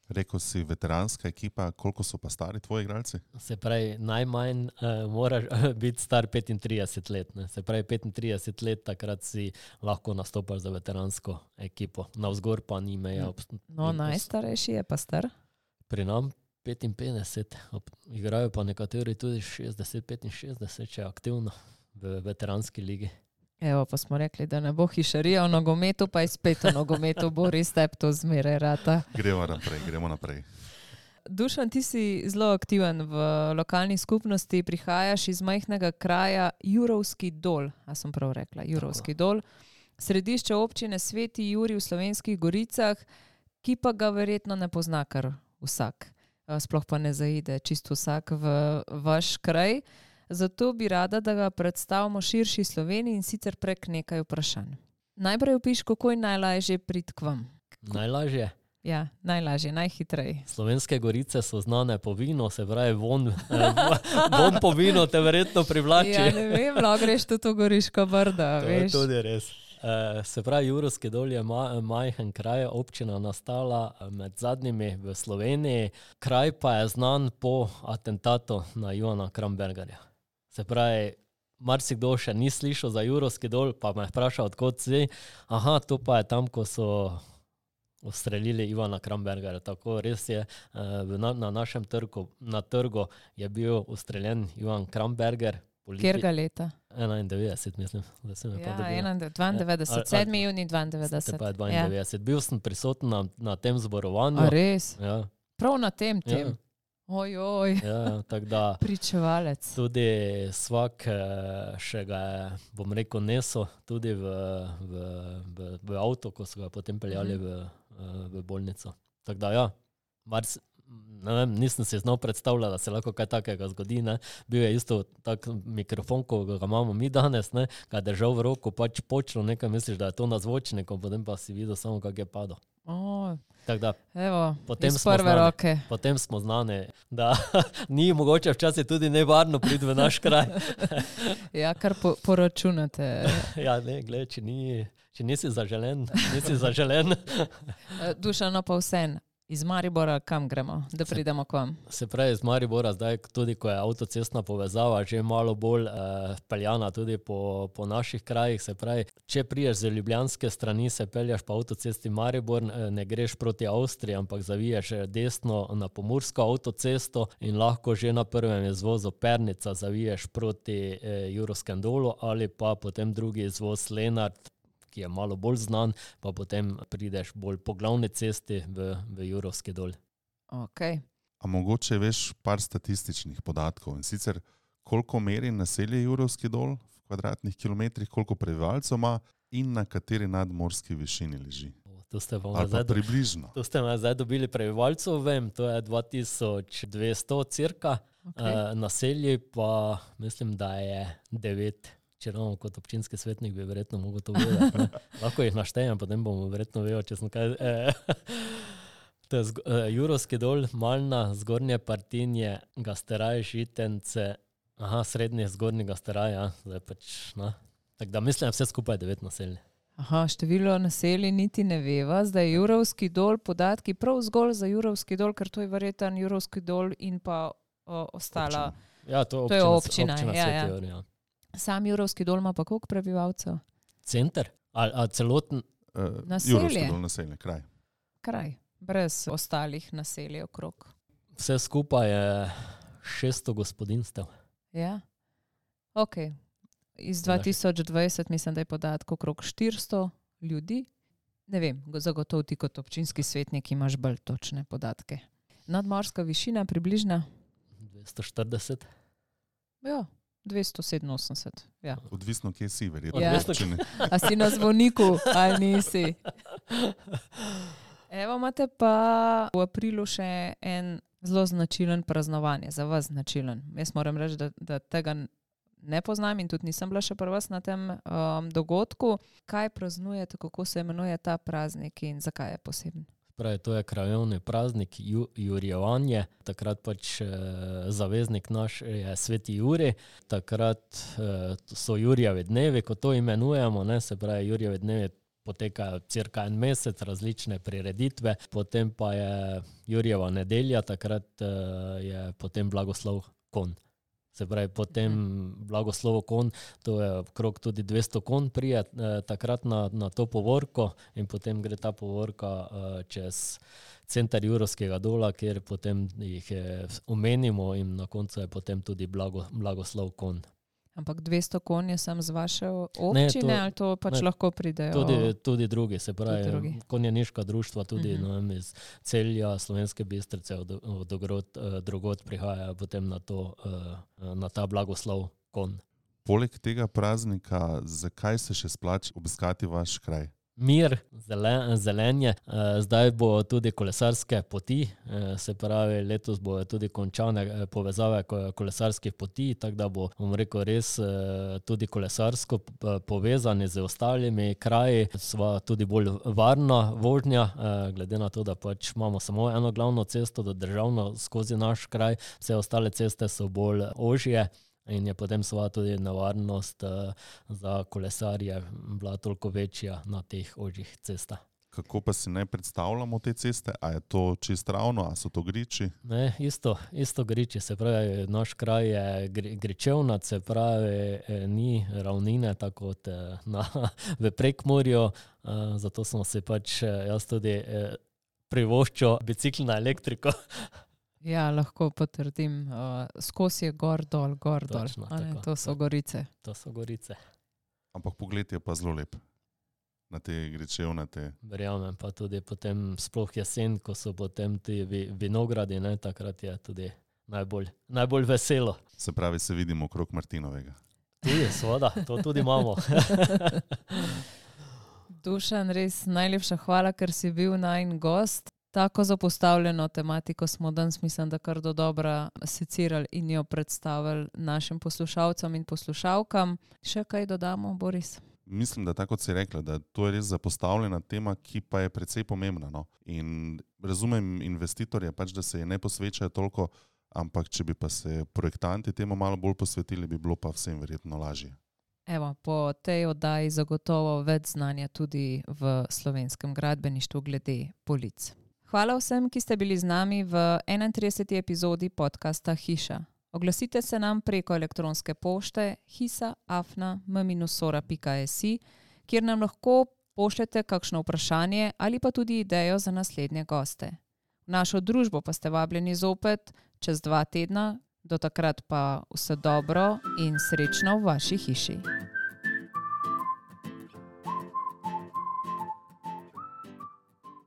Rekel si veteranska ekipa, koliko so pa stari tvoji igralci? Se pravi, najmanj moraš biti star 35 let. Ne? Se pravi, 35 let takrat si lahko nastopaš za veteransko ekipo. Navzgor pa ni meja. No, najstarejši je pa star? Pri nam 55. Igrajo pa nekateri tudi 60-65, če je aktivno v veteranski ligi. Evo, pa smo rekli, da ne bo hišarija v nogometu, pa je spet v nogometu, Boris, tebi to zmeraj rata. Gremo naprej. Dušan, ti si zelo aktiven v lokalni skupnosti, prihajaš iz majhnega kraja Jurovski Dol, a sem prav rekla, Jurovski Dol, središče občine Sveti Jurij v Slovenskih Goricah, ki pa ga verjetno ne pozna kar vsak. Sploh pa ne zaide čisto vsak v vaš kraj. Zato bi rada, da ga predstavimo širši Sloveniji in sicer prek nekaj vprašanj. Najprej opiš, kako je najlažje priti k vam. Najlažje? Ja, najlažje, najhitreje. Slovenske Gorice so znane po vinu, se pravi von po vinu te verjetno privlači. Ja, ne vem, lahko greš tudi v Goriško Brdo, veš. To je tudi res. Se pravi, Jurovski Dol je majhen kraj, občina nastala med zadnjimi v Sloveniji. Kraj pa je znan po atentatu na Ivana Krambergerja. Se pravi, marsikdo še ni slišal za Jurovski Dol, pa me vpraša, odkot si. Aha, to pa je tam, ko so ustrelili Ivana Krambergerja. Tako res je, na našem trgu je bil ustreljen Ivan Kramberger. Kjerga leta? 91, mislim. Ja, 92, 7. juni 92. Pa je 92. Ja. Bil sem prisoten na tem zborovanju. A res? Ja. Prav na tem? Ja. Ojoj, tako da pričevalec. Tudi svak še ga je, bom rekel, neso tudi v avto, ko so ga potem peljali v bolnico. Tako da ja, ne vem, nisem si znal predstavljati, da se lahko kaj takega zgodi. Ne. Bil je isto tak mikrofon, ko ga imamo mi danes, ne, ga je držal v roko, pač počelo nekaj, misliš, da je to na zvočniku, potem pa si videl samo, kak je padel. Tako da, evo, iz prve roke. Potem smo znani, da ni mogoče včasih tudi nevarno priti v naš kraj. Ja, kar poračunate. Ja, ne, gled, če nisi zaželen, nisi zaželen. Dušano pa vsem. Iz Maribora kam gremo, da pridemo k vam? Se pravi, iz Maribora zdaj, tudi ko je avtocestna povezava že malo bolj peljana tudi po naših krajih, se pravi, če priješ z ljubljanske strani, se peljaš po avtocesti Maribor, ne greš proti Avstriji, ampak zaviješ desno na pomursko avtocesto in lahko že na prvem izvozu Pernica zaviješ proti Jurovskem Dolu ali pa potem drugi izvoz Lenart, ki je malo bolj znan, pa potem prideš bolj po glavni cesti v Jurovski Dol. Okay. A mogoče veš par statističnih podatkov, in sicer koliko meri naselje Jurovski Dol v kvadratnih kilometrih, koliko prebivalcev ima in na kateri nadmorski višini leži? Ali pa približno. To ste me zdaj dobili prebivalcev, vem, to je 2200 cirka, naselje pa mislim, da je 9. Če ravno kot občinski svetnik bi verjetno mogel to vedeti. Lahko jih naštejem, potem bomo verjetno vedel, če sem kaj... To je Jurovski Dol, Malna, Zgornje Partinje, Gasteraj, Žitence, srednje, zgornji Gasteraj, ja, zdaj pač, Tako da mislim, vse skupaj 9 naselij. Število naselij niti ne veva, zdaj Jurovski Dol, podatki prav zgolj za Jurovski Dol, ker to je verjeten Jurovski Dol in pa ostala... Ja, to je občina Sveti Jurij, ja. Sam Jurovski Dol ima pa koliko prebivalcev? Center? A celoten? Naselje? Jurovski Dol naselje, kraj. Kraj, brez ostalih naselij okrog. Vse skupaj je 600 gospodinstev. Ja. Ok. Iz 2020 mislim, da je podatek okrog 400 ljudi. Ne vem, zagotovo ti kot občinski svetnik imaš bolj točne podatke. Nadmorska višina približna? 240. Ja, 287. Ja. Odvisno, kje si, verjetno. Ja. A si na zvoniku ali nisi? Evo, imate pa v aprilu še en zelo značilen praznovanje, za vas značilen. Jaz moram reči, da tega ne poznam in tudi nisem bila še pri vas na tem dogodku. Kaj praznujete, kako se imenuje ta praznik in zakaj je poseben? Pravi, to je krajevni praznik Jurjevanje. Takrat pač zaveznik naš je Sveti Jurij. Takrat so Jurjevi dnevi, ko to imenujemo, ne, se pravi Jurjevi dnevi potekajo cirka en mesec, različne prireditve, potem pa je Jurjeva nedelja, takrat je potem blagoslov konj. Se pravi, potem blagoslovo konj, to je okrog tudi 200 konj prije takrat na to povorko in potem gre ta povorka čez center Jurovskega dola, kjer potem jih omenimo in na koncu je potem tudi blagoslov konj. Ampak 200 konj je sam z vaše občine, ali to pač lahko pridejo? Tudi drugi, se pravi, konjeniška društva, tudi iz Celja, Slovenske Bistrice, od drugod prihajajo potem na ta blagoslov konj. Poleg tega praznika, zakaj se še splača obiskati vaš kraj? Mir, zelenje, zdaj bo tudi kolesarske poti, se pravi, letos bo tudi končane povezave kolesarskih poti, tako da bo, bom rekel, res tudi kolesarsko povezani z ostalimi kraji, sva tudi bolj varna vožnja, glede na to, da pač imamo samo eno glavno cesto, državno skozi naš kraj, vse ostale ceste so bolj ožje. In je potem sva tudi nevarnost za kolesarje bila toliko večja na teh ožjih cestah. Kako pa si naj predstavljamo te ceste? A je to čist ravno, a so to griči? Ne, isto griči, se pravi, naš kraj je gričevnat, se pravi, ni ravnine tako kot v Prekmurju, zato sem si pač jaz tudi privoščil bicikl na elektriko. Ja, lahko potrdim. Skozi je gor, dol. Točno, To so gorice. To so gorice. Ampak pogled je pa zelo lep na te gričevnate. Verjamem, pa tudi potem sploh jesen, ko so potem ti vinogradi, ne, takrat je tudi najbolj veselo. Se pravi, se vidimo okrog Martinovega. Tudi, seveda, to tudi imamo. Dušan, res najlepša hvala, ker si bil najin gost. Tako zapostavljeno tematiko smo danes, mislim, da kar do dobra secirali in jo predstavili našim poslušalcem in poslušalkam. Še kaj dodamo, Boris? Mislim, da tako kot si rekla, da to je res zapostavljena tema, ki pa je precej pomembna. No? In razumem investitorje, pač, da se je ne posvečajo toliko, ampak če bi pa se projektanti temu malo bolj posvetili, bi bilo pa vsem verjetno lažje. Evo, po tej oddaji zagotovo več znanja tudi v slovenskem gradbeništvu glede polic. Hvala vsem, ki ste bili z nami v 31. epizodi podcasta Hiša. Oglasite se nam preko elektronske pošte hisa@m-sora.si, kjer nam lahko pošljete kakšno vprašanje ali pa tudi idejo za naslednje goste. V našo družbo pa ste vabljeni zopet čez 2 tedna, do takrat pa vse dobro in srečno v vaši hiši.